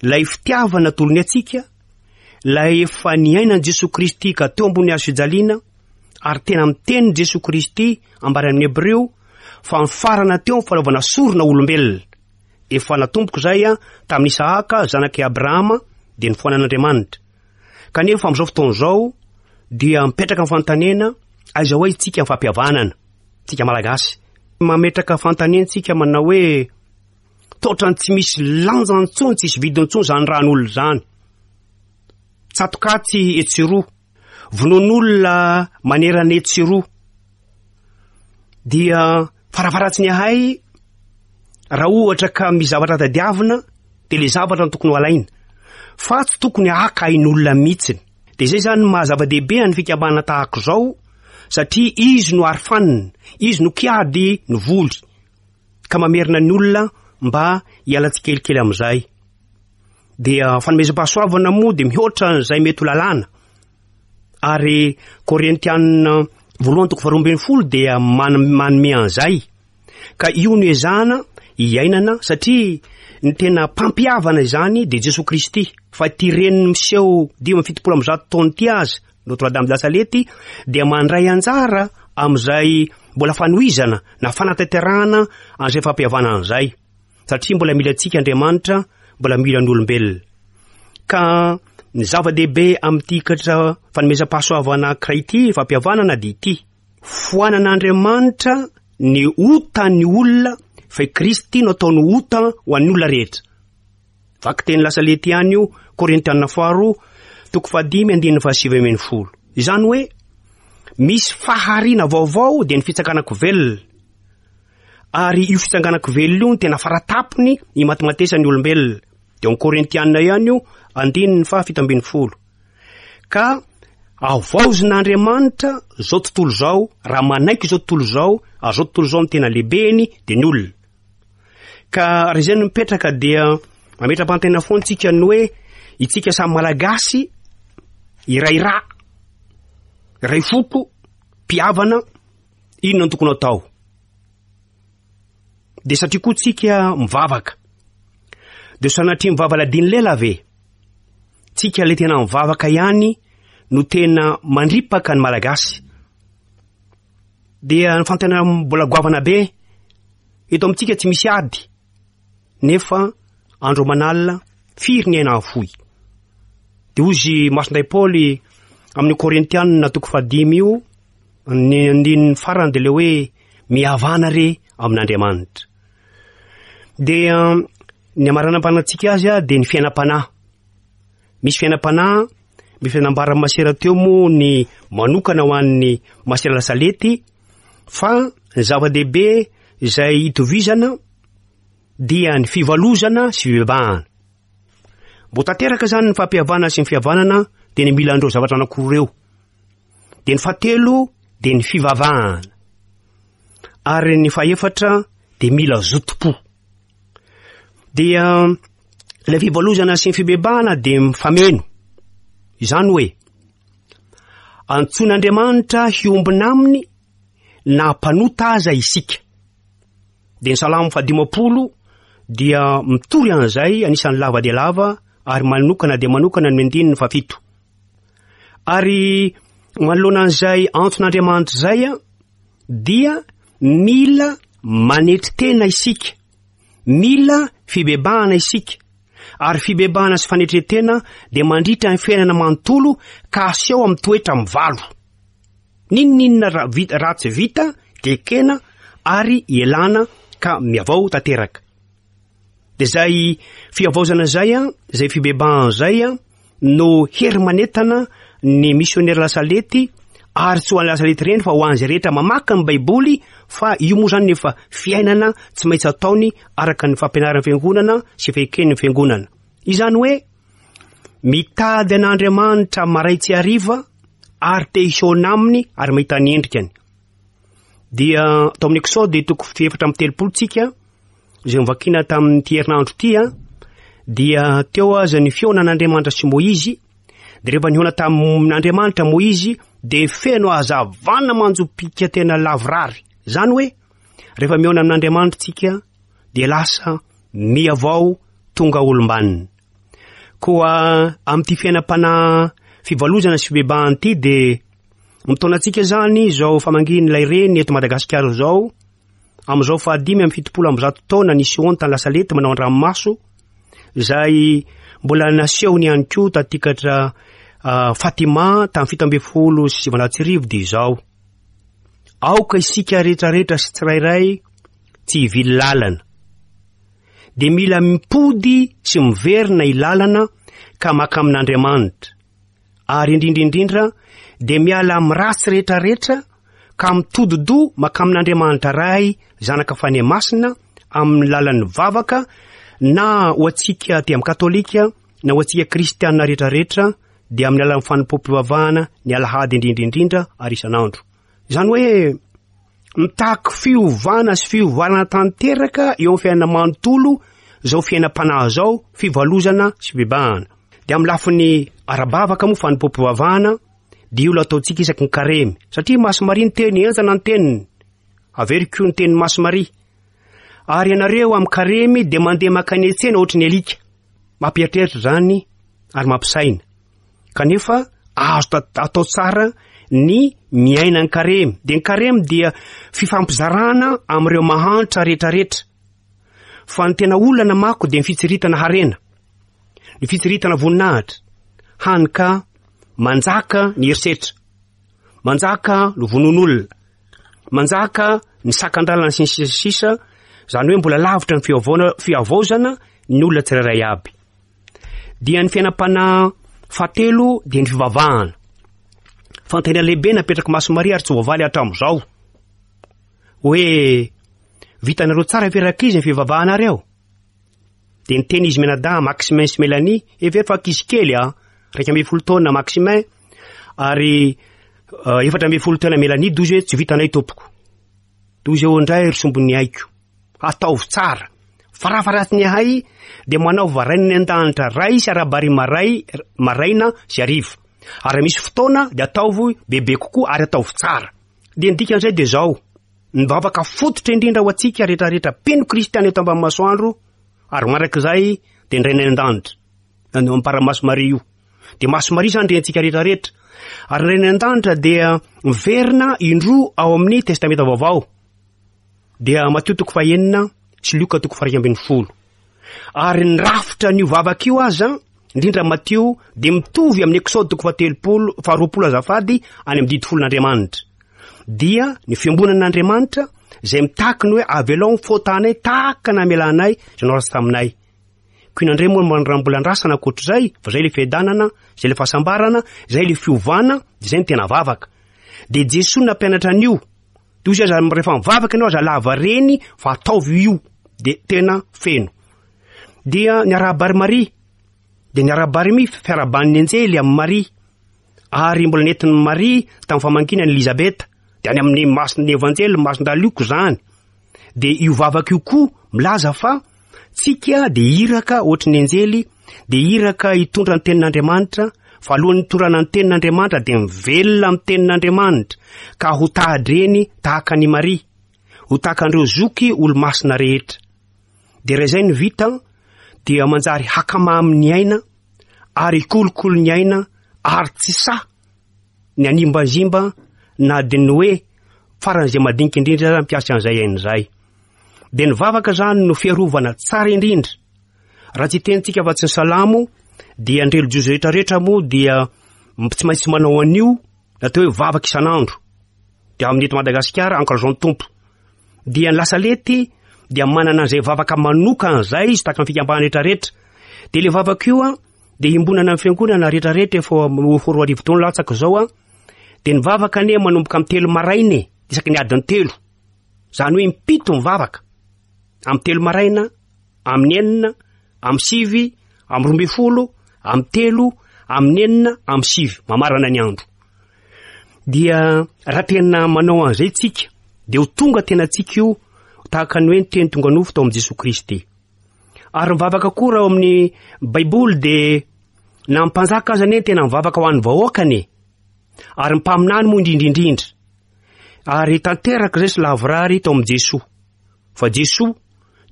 ilay fitiavana atolony antsika, ilay efa niainan'i Jesoa Kristy ka teo ambony hazo fijaliana, ary tena miteny Jesoa Kristy ambara amin'ny Hebreo fa nifarana teo amin'ny fanaovana sorona olombelona. Efa natomboko izay a tamin'i Isahaka zanak'i Abrahama dia nifoanan'Andriamanitra. Kanefa amin'izao fotoana izao dia mipetraka ny fanontaniana aiza ho aiza isika amin'ny fampihavanana, tsika malagasy. Mametraka fanontaniana tsika manao hoe totrany tsy misy lanjany intsony, tsisy vidiny intsony izany ran'olona izany. Tsatokatsy etsy sy roa, vonoan'olona manerana etsy sy roa. Dia farafaratsy ny ahay, raha ohatra ka misy zavatra tadiavina dia le zavatra no tokony ho alaina, fa tsy tokony haka ain'olona mihitsiny. Dia izay zany maha zava-dehibe an'ny fikambanana tahaka izao, satria izy no arofanina, izy no kiady ny voly, ka mamerina ny olona mba hiala tsikelikely amin'izay. Dia fanomezam-pahasoavana moa dia mihoatra an'izay mety ho lalàna. Ary Korintianina voalohany toko faharoa ambin'ny folo dia man-, manome an'izay. Ka io no ezahana iainana, satria ny tena mpampihavana izany dia Jesoa Kristy. Fa ity reniny miseho dimy amby fitopolo amby zato taona ity aza, Notre Dame de la Salette, dia mandray anjara amin'izay mbola fanohizana na fanatanterahana an'izay fampihavanana izay. Satria mbola mila antsika Andriamanitra, mbola mila ny olombelona. Ka ny zava-dehibe amin'ity katra fanomezam-pahasoavana anankiray ity, fampihavanana, dia ity. Foanan'Andriamanitra ny otan'ny olona, fa i Kristy no ataony ota ho an'ny olona rehetra. Vakiteny lasa lety ihany io, Korintiana faharoa, toko fahadimy, andininy fahasivy ambin'ny folo. Izany hoe, misy fahariana vaovao dia ny fitsanganako velona. Ary io fitsanganako velona io no tena faratapony imatimatesan'ny olombelona. Dia ao Korintiana ihany io, andininy fahafito ambin'ny folo. Ka havaozin'Andriamanitra zao tontolo izao, raha manaiky izao tontolo izao, ary zao tontolo izao no tena lehibeny dia ny olona. Ka raha izay no mipetraka dia mametra-pantena foana tsika ny hoe itsika samy Malagasy, iray rà, iray foko, mpihavana, inona no tokony atao? Dia satria koa tsika mivavaka. Dia sanatria mivava ladiny lela ve? Tsika le tena mivavaka ihany no tena mandripaka ny Malagasy. Dia ny fantena mbola goavana be, eto amintsika tsy misy ady, nefa andro aman'alina firy ny aina afoy. Dia hozy Masinday Paoly amin'ny Korintianina toko fahadimy io, ny andininy farany dia le hoe mihavana re amin'Andriamanitra. Dia ny amaranam-panantsika azy a, dia ny fiainam-panahy. Misy fiainam-panahy, misy fiainam-baran'ny masera teo moa ny manokana ho an'ny masera Lasalety, fa ny zava-dehibe izay itovizana dia ny fivalozana sy fibebahana. Mbo tanteraka zany ny fampihavanana sy ny fihavanana dia ny mila an'ireo zavatra anankiroa ireo. Dia ny fahatelo dia ny fivavahana. Ary ny fahefatra dia mila zotom-po. Dia ilay fivalozana sy ny fibebahana dia mifameno. Izany hoe antsoin'Andriamanitra hiombona aminy na mpanota aza isika. Dia ny Salamo fahadimampolo dia mitory an'izay, anisan'ny lava dia lava ary manokana dia manokana ny andininy fahafito. Ary manoloana an'izay antson'Andriamanitra izay dia mila manetry tena isika, mila fibebahana isika. Ary fibebahana sy fanetren-tena dia mandritra ny fiainana manontolo ka aseho amin'ny toetra mivalo. N'inon'inona ra-, vita, ratsy vita dia ekena ary ialana ka miavao tanteraka. Dia izay fihavaozana izay, izay fibebahana izay no hery manentana ny misionera Lasalety, ary tsy ho an'ny Lasalety ireny fa ho an'izay rehetra mamaky ny Baiboly, fa io moa zany efa fiainana tsy maintsy ataony araka ny fampianaran'ny fiangonana sy feken'ny fiangonana. Izany hoe mitady an'Andriamanitra maray tsy hariva ary te hihaona aminy ary mahita ny endrikany. Dia tao amin'ny Eksody toko fahefatra amby telopolo tsika, izay novakiana tamin'ity herinandro ity, dia teo aza ny fihaonan'Andriamanitra sy Moizy. Dia rehefa nihaona tamin'Andriamanitra Moizy dia feno hazavana manjopika tena lavorary. Izany hoe rehefa mihaona amin'Andriamanitra tsika dia lasa mihavao tonga olom-banona. Koa amin'ity fiainam-panahy fivalozana sy fibebahana ity dia mitaona antsika zany izao famangian'ilay reny eto Madagasikara izao, amin'izao fahadimy amby fitopolo amby zato taona nisehoany tany Lasalety manao an-dranomaso, izay mbola nasehony ihany koa tatikatra, ah, Fatima tamin'ny fito ambin'ny folo sy sivinjato sy arivo dia izao. Aoka isika rehetrarehetra sy tsirairay tsy hivily lalana. Dia mila mipody sy miverina ilalana ka maka amin'Andriamanitra. Ary indrindra indrindra dia miala amin'ny ratsy rehetrarehetra ka mitodi-doha maka amin'Andriamanitra Ray, Zanaka Fanahy Masina amin'ny lalan'ny vavaka, na ho antsika aty amin'ny katolika na ho antsika kristiana rehetrarehetra dia amin'ny alalan'ny fanompoam-pivavahana ny alahady indrindra indrindra ary isan'andro. Izany hoe mitaky fiovana sy fiovana tanteraka eo amin'ny fiainana manontolo izao fiainam-panahy izao, fivalozana sy fibebahana. Dia amin'ny lafiny ara-bavaka moa fanompoam-pivavahana dia io lo ataontsika isaky ny karemy, satria Masy Maria ny teny, enjana ny teniny, averiko ny tenin'i Masy Maria. Ary ianareo amin'ny karemy dia mandeha mankany an-tsena ohatry ny alika. Mampieritreritra izany ary mampisaina. Kanefa azo ta-, atao tsara ny miaina ny karemy. Dia ny karemy dia fifampizarana amin'ireo mahantra rehetrarehetra. Fa ny tena olana mako dia ny fitsiritana harena, ny fitsiritana voninahitra, hany ka manjaka ny herisetra, manjaka ny vonoan'olona, manjaka ny sakan-dalana sy ny sisa sy sisa, izany hoe mbola lavitra ny fiavaona, fihavaozana ny olona tsirairay aby. Dia ny fiainam-panahy fahatelo dia ny fivavahana. Fanontaniana lehibe napetraky Masy Maria ary tsy voavaly hatramin'izao. Hoe vitanareo tsara ve rankizy ny fivavahanareo? Dia niteny izy mianadahy Maximin sy Mélanie, hevero fa ankizy kely a, iraika ambin'ny folo taona Maximin ary efatra ambin'ny folo taona Mélanie, dozy hoe tsy vitanay tompoko. Dozy eo indray ry sombin'ny aiko. Ataovy tsara. Farafaratsiny ahay dia manaova rain'ny an-danitra ray sy arabary maray, maraina sy hariva. Ary misy fotoana dia ataovy bebe kokoa ary ataovy tsara. Dia ny dikan'izay dia izao, ny vavaka fototra indrindra ho antsika rehetrarehetra mpino kristiana eto ambany masoandro ary mandrakizay dia ny Rainay an-danitra. Ny ampara-maso Maria io. Dia Maso Maria izany rentsika rehetrarehetra. Ary ny Rainay an-danitra dia miverina indroa ao amin'ny Testamenta Vaovao. Dia Matio toko fahenina sy Lioka toko faha-iraika ambin'ny folo. Ary ny rafitra an'io vavaka io aza, indrindra Matio, dia mitovy amin'ny Exode toko fahatelopolo, faharoapolo azafady, any amin'ny didy folon'Andriamanitra. Dia ny fiombonan'Andriamanitra izay mitaky ny hoe avelao ny faotanay tahaka ny namelanay izay nanao ratsy taminay. Koa inona indray moa no raha mbola andrasana ankoatr'izay, fa izay ilay fiadanana, izay ilay fahasambarana, izay ilay fiovana, izay ny tena vavaka. Dia Jesoa nampianatra an'io. Dia hoy izy aza rehefa mivavaka ianao aza lava reny fa ataovy io, dia tena feno. Dia ny arahaba ry Maria, dia ny arahaba ry mi, fiarahaban'ny anjely amin'i Maria. Ary mbola nentin'i Maria tamin'ny famangiana an'i Elizabeta, dia any amin'ny masin'ny Evanjely, masin-dAlioko izany. Dia io vavaka io koa milaza fa tsika dia iraka ohatry ny anjely, dia iraka hitondra ny tenin'Andriamanitra, fa alohan'ny hitondrana ny tenin'Andriamanitra dia mivelona amin'ny tenin'Andriamanitra, ka ho tahadreny tahaka an'i Maria, ho tahaka an'ireo zoky olomasina rehetra. Dia raha izay no vita, dia manjary hakamamy ny aina, ary hikolokolo ny aina, ary tsy sahy ny hanimbazimba na dia ny hoe faran'izay madinika indrindra aza mikasika an'izay aina izay. Dia ny vavaka izany no fiarovana tsara indrindra. Raha tsy tenintsika fa tsy ny salamo, dia ny relijiozy rehetrarehetra moa dia tsy maintsy manao an'io natao hoe vavaka isan'andro. Dia amin'ny eto Madagasikara, ankalazao ny Tompo. Dia ny lasalety dia manana an'izay vavaka manokana izay izy tahaka ny fikambanana rehetrarehetra. Dia ilay vavaka io a, dia iombonana amin'ny fiangonana rehetrarehetra efa efa roa arivo taona latsaka izao a. Dia ny vavaka anie manomboka amin'ny telo maraina e, isaky ny adiny telo. Izany hoe impito ny vavaka. Amin'ny telo maraina, amin'ny enina, amin'ny sivy, amin'ny roa ambin'ny folo, amin'ny telo, amin'ny enina, amin'ny sivy, mamarana ny andro. Dia raha tena manao an'izay tsika, dia ho tonga tena tsika io tahaka ny hoe ny teny tonga nofo tao amin'i Jesoa Kristy. Ary mivavaka koa raha ao amin'ny Baiboly dia na ny mpanjaka aza anie tena mivavaka ho an'ny vahoakany e. Ary ny mpaminany moa indrindra indrindra. Ary tanteraka izay sy lavorary tao amin'i Jesoa. Fa Jesoa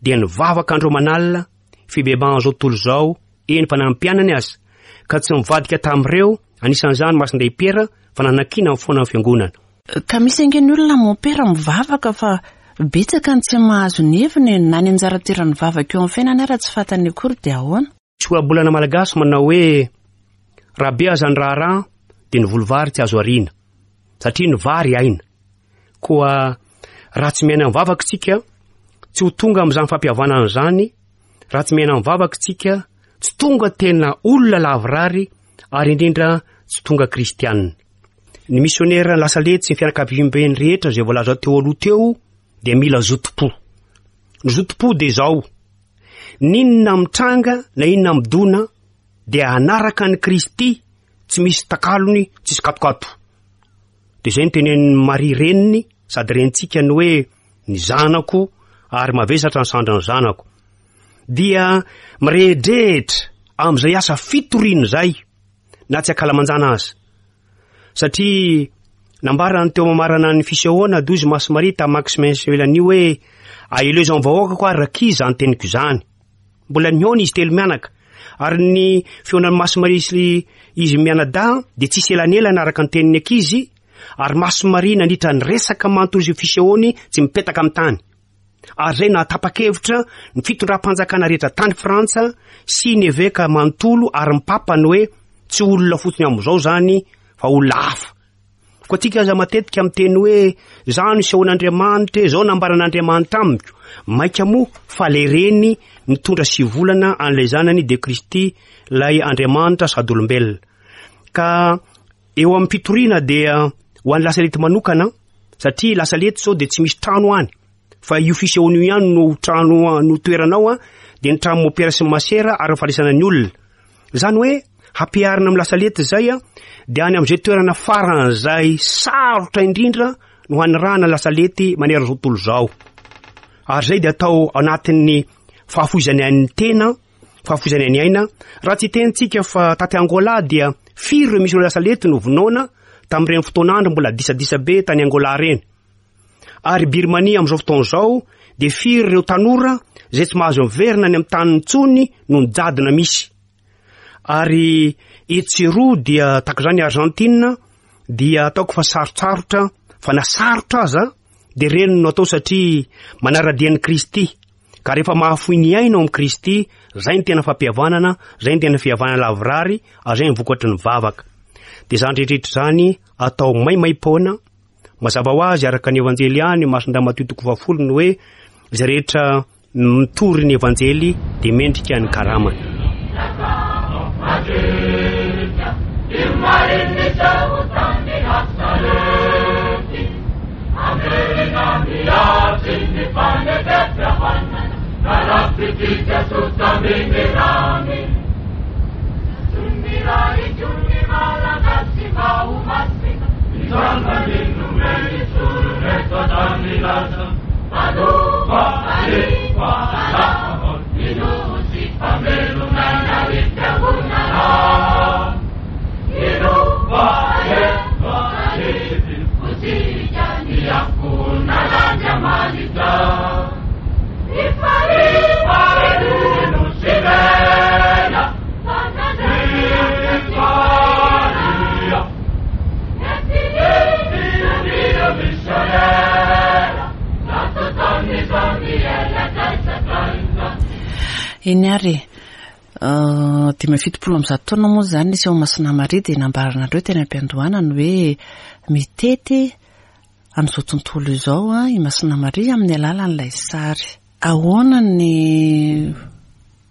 dia nivavaka andro aman'alina, fibebahan'izao tontolo izao, eny fa na ny mpianany aza, ka tsy nivadika tamin'ireo, anisan'izany Masindahy Piera, fa nanakiana ny foana ny fiangonana. Ka misy ange ny olona mompera mivavaka fa betsaka ny tsy mahazo ny heviny e, na ny anjara toeran'ny vavaka eo amin'ny fiainana ara tsy fantany akory dia ahoana? Tsy ohabolana malagasy manao hoe raha be aza ny raharaha dia ny voly vary tsy azo ariana, satria ny vary aina. Koa raha tsy miaina mivavaka isika, tsy ho tonga amin'izany fampihavanana izany. Raha tsy miaina mivavaka isika, tsy tonga tena olona lavorary ary indrindra tsy tonga kristianina. Ny misionera lasa letsy sy ny fianakaviambeny rehetra izay voalaza teo aloha teo dia mila zotom-po. Ny zotom-po dia izao, n'inona mitranga na inona midona dia hanaraka an'i Kristy tsy misy takalony, tsisy katokato. Dia izay no tenenin'i Maria reniny sady renintsika ny hoe ny zanako ary mavesatra ny sandrin'ny zanako. Dia mirehidrehitra amin'izay asa fitoriana izay na tsy ankalamanjana aza. Satria nambarany teo mamarana ny fisehoana dozy Masy Maria tamin'i Maximin sy Mélanie hoe aelezo amin'ny vahoakako ary rankizy izany teniko izany. Mbola nihaona izy telo mianaka. Ary ny fihaonan'i Masy Maria sy izy mianadahy dia tsisy elanelana araka ny tenin'ny ankizy, ary Masy Maria nandritra ny resaka manontolo izay fisehoany tsy mipetaka amin'ny tany. Ary izay nahatapa-kevitra ny fitondram-panjakana rehetra tany Frantsa sy ny eveka manontolo ary ny papa ny hoe tsy olona fotsiny amin'izao izany fa olona hafa. Koa antsika aza matetika miteny hoe izaho nisehoan'Andriamanitra, izao nambaran'Andriamanitra amiko. Mainka moa fa ilay reny nitondra sivy volana an'ilay zanany dia Kristy, ilay Andriamanitra sady olombelona. Ka eo amin'ny fitoriana dia ho an'ny Lasalety manokana, satria Lasalety izao dia tsy misy trano any, fa io fisehoana io ihany no trano no toeranao, dia ny trano mopera sy ny masera ary ny fandraisana ny olona. Izany hoe hampiharina amin'ny Lasalety izay, dia any amin'izay toerana faran'izay sarotra indrindra no hanirahana Lasalety manerana izao tontolo izao. Ary izay dia atao anatin'ny fahafoizana ny tena, fahafoizana ny aina. Raha tsy hitentsika fa taty Angola dia firy ireo misy Lasalety no vonoina tamin'ireny fotoan'andro mbola disadisa be tany Angola ireny. Ary Birmania amin'izao fotoana izao dia firy ireo tanora izay tsy mahazo miverina any amin'ny taniny intsony noho ny jadona misy. Ary etsy sy eroa dia tahaka izany Argentine dia ataoko fa sarotsarotra, fa na sarotra aza dia ireny no atao satria manara-dia an'i Kristy. Ka rehefa mahafoy ny aina ao amin'i Kristy, izay ny tena fampihavanana, izay ny tena fihavanana lavorary, ary izay ny vokatry ny vavaka. Dia izany rehetrarehetra izany atao maimaim-poana. Mazava ho azy araka ny Evanjely ihany, Masindahy Matio toko fahafolo, ny hoe izay rehetra mitory ny Evanjely dia mendrika ny karamany. Eny ary, dimy amby fitopolo amby zato taona moa izany niseho Masina Maria dia nambaranareo teny am-piandohana ny hoe mitety amin'izao tontolo izao i Masina Maria amin'ny alalan'ilay sary. Ahoana ny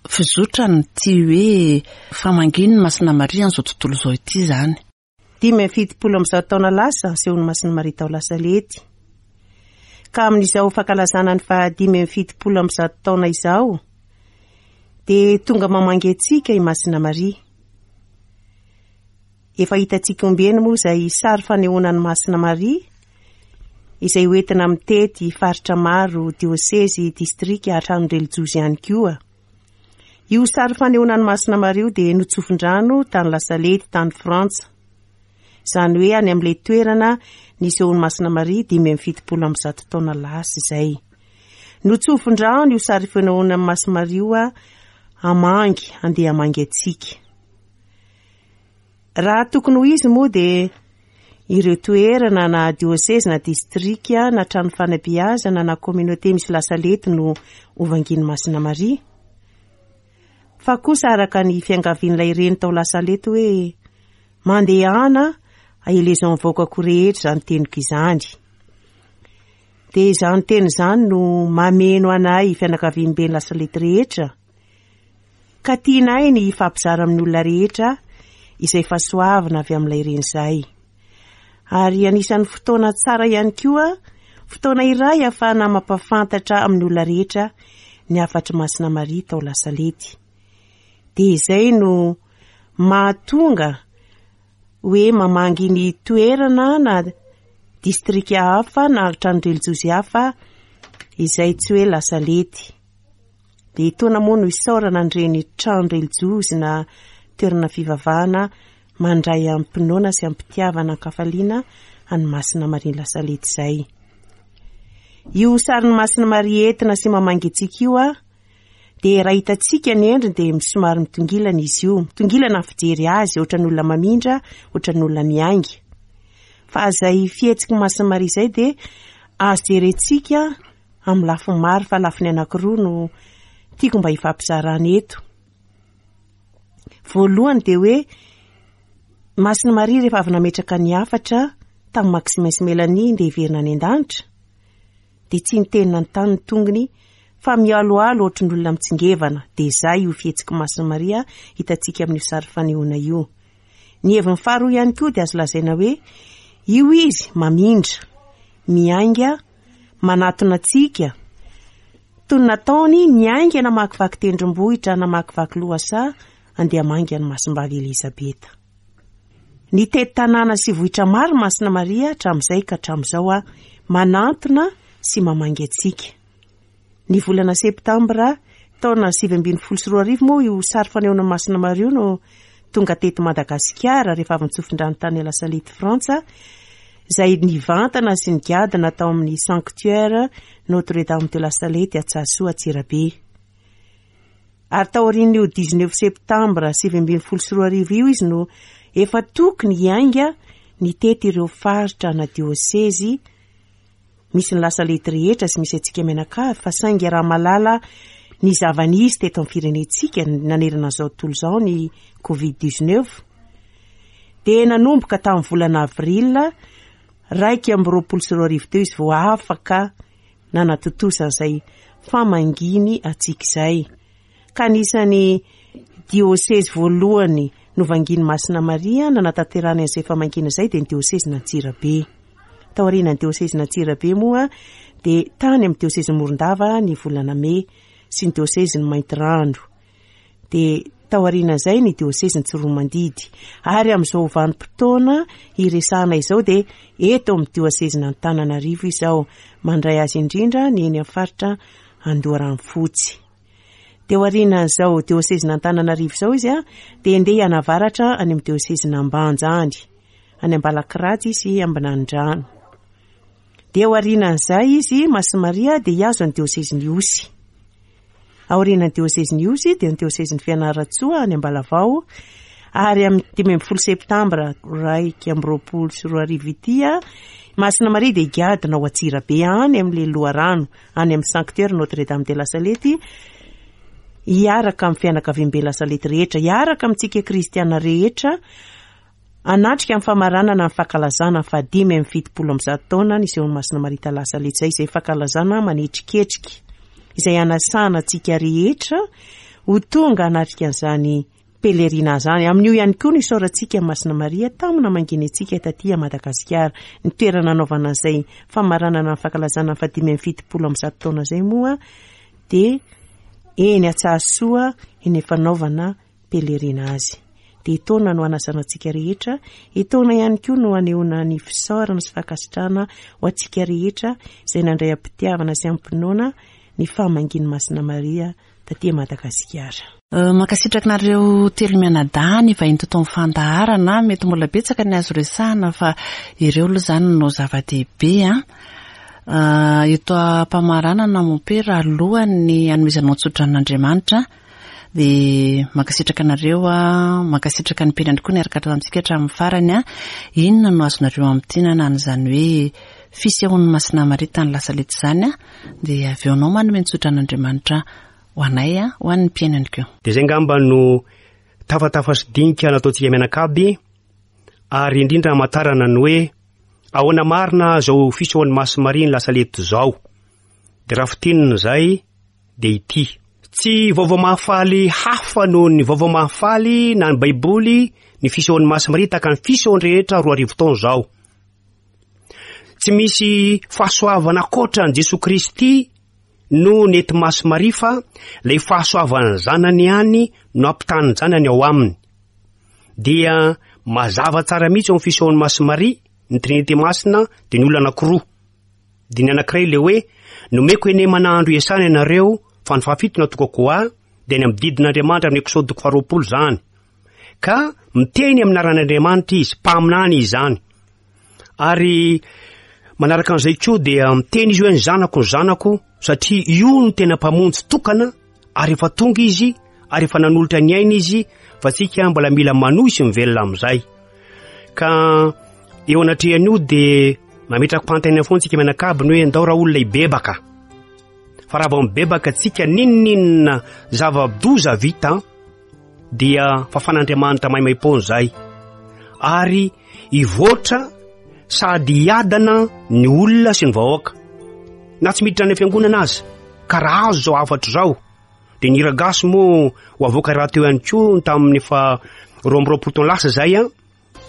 fizotran'ity hoe famangian'ny Masina Maria amin'izao tontolo izao ity izany? Dimy amby fitopolo amby zato taona lasa nisehon'ny Masina Maria tao Lasalety. Ka amin'izao fankalazana ny fahadimy amby fitopolo amby zato taona izao dia tonga mamangy antsika i Masina Maria. Efa hitantsika ombieny moa izay sary fanehoana ny Masina Maria izay hoentina mitety faritra maro, diosezy, distrika, hatrany relijiozy ihany koa. Io sary fanehoana ny Masina Maria io dia notsofin-drano tany Lasalety, tany Frantsa. Izany hoe any amin'ilay toerana nisehoan'ny Masina Maria dimy amby fitopolo amby zato taona lasa izay. Notsofin-drano io sary fanehoana ny Masina Maria io hamangy, handeha hamangy antsika. Raha tokony ho izy moa dia ireo toerana na diosezy na distrika na trano fanabeazana na communauté misy Lasalety no hovangian'ny Masina Maria. Fa kosa araka ny fiangavian'ilay reny tao Lasalety hoe mandehana ahelezao ny vahoakako rehetra izany teniko izany. Dia izany teny izany no mameno anay fianakaviambe ny Lasalety rehetra. Ka tianay ny hifampizara amin'ny olona rehetra izay fahasoavana avy amin'ilay reny izay. Ary anisan'ny fotoana tsara ihany koa, fotoana iray ahafahana mampahafantatra amin'ny olona rehetra ny hafatry Masina Maria tao Lasalety. Dia izay no mahatonga hoe mamangy ny toerana na distrika hafa na trano relijiozy hafa izay tsy hoe Lasalety. Dia etoana moa no isaorana an'ireny trano relijiozy na toerana fivavahana mandray am-pinoana sy am-pitiavana an-kafaliana an'i Masina Maria Lasalety izay. Io sarin'i Masina Maria entina sy mamangy antsika io a, dia raha hitantsika ny endriny dia somary mitongilana izy io. Mitongilana ny fijery azy, ohatran'ny olona mamindra, ohatran'ny olona miainga. Fa izay fihetsiky Masina Maria izay dia azo jerentsika Amin'ny lafiny maro fa lafiny anankiroa no tiako mba hifampizarana eto. Voalohany dia hoe Masina Maria rehefa avy nametraka ny hafatra tamin'i Maximin sy Mélanie ndeha hiverina any an-danitra dia tsy niteny nanontany ny tongony fa mialoalo ohatry ny olona mitsingevana. Dia izay io fihetsik'i Masina Maria hitantsika amin'io sary fanehoana io. Ny heviny faharoa ihany koa dia azo lazaina hoe io izy mamindra, miainga, manatona antsika toy ny nataony niainga namakivaky tendrombohitra, namakivaky lohasaha andeha hamangy an'i Masimbavy Elizabeta. Nitety tanàna sy vohitra maro Masina Maria hatramin'izay ka hatramin'izao manantona sy mamangy antsika. Ny volana septambra taona sivy ambin'ny folo sy roa arivo moa io sary fanehoana Masina Maria io no tonga teto Madagasikara rehefa avy nitsofindrano tany La Salette Frantsa, izay nivantana sy nigadona tao amin'ny Sanctuaire Notre-Dame de la Salette Antsahasoa Antsirabe. Ary taorian'io dix-neuf septambra sivy ambin'ny folo sy roa arivo io izy no efa tokony hiainga nitety ireo faritra na diosezy misy ny La Salette rehetra sy misy antsika mianakavy, fa saingy raha malala ny zava-nisy teto amin'ny firenentsika nanerana an'izao tontolo izao ny covid dix-neuf dia nanomboka tamin'ny volana avril raika amby roapolo sy roa arivo teo izy vao afaka nanatontosa an'izay famanginy antsika izay. Ka anisan'ny diosezy voalohany novangian'i Masina Maria nanatanterahana an'izay famangiana izay dia ny diosezin'Antsirabe. Taorian'ny diosezin'Antsirabe moa dia tany amin'ny diosezin'i Morondava ny volana mey sy ny diosezin'i Maintirano. Dia taorian'izay ny diosezin'i Tsiroamandidy. Ary amin'izao vanim-potoana hiresahana izao dia eto amin'ny diosezin'Antananarivo izao mandray azy indrindra ny eny amin'ny faritra Andoharanofotsy. Dia aorian'izao diosezin'Antananarivo izao izy a, dia andeha hianavaratra any amin'ny diosezin'Ambanja any, any Ambalakirajy sy Ambinandrano. Dia aorian'izay izy Masina Maria dia hihazo ny diosezin'Ihosy. Aorian'ny diosezin'Ihosy dia ny diosezin'ny Fianarantsoa any Ambalavao. Ary amin'ny dimy ambin'ny folo septambra raika amby roapolo sy roa arivo ity a, Masina Maria dia higadona ao Antsirabe any amin'ilay loharano, any amin'ny Sanctuaire Notre-Dame de la Salette, hiaraka amin'ny fianakaviambe La Salette rehetra, hiaraka amintsika kristiana rehetra, hanatrika amin'ny famaranana ny fankalazana ny fahadimy amby fitopolo amby zato taona nisehoan'i Masina Maria ta La Salette izay, izay fankalazana manetriketrika, izay hanasana antsika rehetra ho tonga hanatrika an'izany pèlerinage izany. Amin'io ihany koa no isaorantsika Masina Maria tamin'ny namanginy antsika taty Madagasikara. Ny toerana nanaovana an'izay famaranana ny fankalazana ny fahadimy amby fitopolo amby zato taona izay moa dia eny Antsahasoa eny fanaovana pèlerinage. Dia etaona no hanasana antsika rehetra, etaona ihany koa no hanehoana ny fisaorana sy fankasitrahana ho antsika rehetra izay nandray am-pitiavana sy am-pinoana ny famangian'i Masina Maria taty Madagasikara. Euh, mankasitraka anareo telo mianadahy ny vahiny teto amin'ny fandaharana. Mety mbola betsaka ny azo resahana fa ireo aloha izany no zava-dehibe a. Euh, eto am-pamaranana mompera alohan'ny hanomezanao tso-dranon'Andriamanitra dia mankasitraka anareo a, mankasitraka ny mpianany koa niaraka tamintsika hatramin'ny farany a. Inona no azonareo amintinana an'izany hoe fisehoan'ny Masina Maria tany La Salette izany a? Dia avy eo anao manome ny tso-dranon'Andriamanitra ho anay a, ho an'ny mpianany koa. Dia izay angamba no tafatafa sy dinika nataontsika mianakaby, ary indrindra hamantarana ny hoe ahoana marina izao fisehoan'ny Masina Maria ny La Salette izao. Dia raha fintinina izay dia ity. Tsy vaovao mahafaly hafa noho ny vaovao mahafaly na ny Baiboly ny fisehoan'ny Masina Maria tahaka ny fisehoany rehetra roa arivo taona izao. Tsy misy fahasoavana ankoatra an'i Jesoa Kristy no nety Masina Maria fa ilay fahasoavan'ny zanany ihany no ampitahan'ny zanany ao aminy. Dia mazava tsara mihitsy eo amin'ny fisehoan'ny Masina Maria ny Trinité Masina dia ny olona anankiroa. Dia ny anankiray ilay hoe nomeko henemana andro iasana ianareo fa ny fahafito natokako ho ahy, dia ny amin'ny didin'Andriamanitra amin'ny Eksody toko faharoapolo izany. Ka miteny amin'ny anaran'Andriamanitra izy, mpaminany izy izany. Ary manaraka an'izay koa dia miteny izy hoe ny zanako, ny zanako, satria io no tena mpamonjy tokana, ary efa tonga izy, ary efa nanolotra ny aina izy, fa tsika mbola mila manohy sy mivelona amin'izay. Ka eo anatrehan'io dia mametraka fanontaniana foana tsika mianakavy ny hoe ndao raha olona hibebaka. Fa raha vao mibebaka antsika, n'inon'inona zava-doza vita, dia fafan'Andriamanitra maimaim-poana izay. Ary hivoatra sady hiadana ny olona sy ny vahoaka, na tsy miditra any am-piangonana aza. Ka raha azo izao hafatra izao, dia ny hira gasy moa ho avoaka rahateo ihany koa tamin'ny efa roa amby roapolo taona lasa izay, an,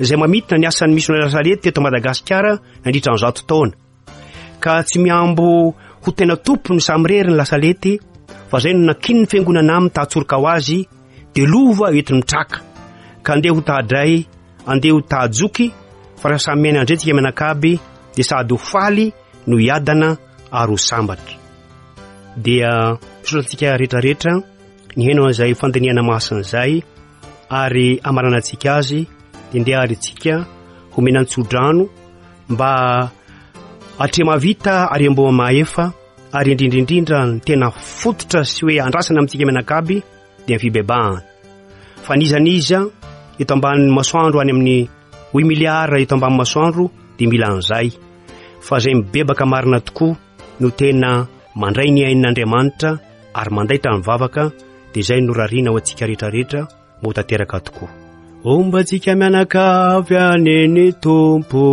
izay mamintina ny asan'ny misionera Lasalety teto Madagasikara nandritra ny zato taona. Ka tsy mihambo ho tena tompony samirery ny Lasalety, fa izay no nakinin'ny fiangonana aminy tahatsoroka ho azy, dia lova entiny mitraka. Ka andeha ho tahadray, andeha ho tahajoky, fa raha samy miaina andretsika mianakaby, dia sady ho faly no hiadana ary ho sambatra. Dia misaotra antsika rehetrarehetra nihaino an'izay fandinihana masina izay, ary amaranantsika azy, dia ndeha ary tsika homena an-tsodrano mba hatremahavita ary amboa mahefa, ary indrindra indrindra ny tena fototra sy hoe andrasana amintsika mianakaby dia ny fibebahana. Fa n'iza n'iza eto ambanin'ny masoandro any amin'ny huit milliards eto ambanin'ny masoandro dia mila an'izay. Fa izay mibebaka marina tokoa no tena mandray ny ain'Andriamanitra ary mandaitra ny vavaka, dia izay no rariana ho antsika rehetrarehetra mba ho tanteraka tokoa. Homba antsika mianakavy any ny Tompo.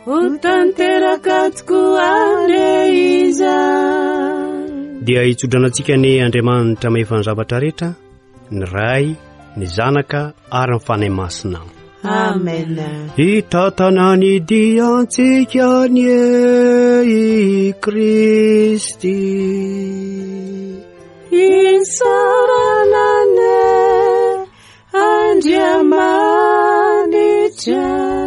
Ho tanteraka tokoa anie izany. Dia hitsodrano antsika ny Andriamanitra mahefa ny zavatra rehetra, ny Ray, ny Zanaka ary ny Fanahy Masina. Amen. Hitatana ny diantsika anie i Kristy. Isaorana anie Andriamanitra.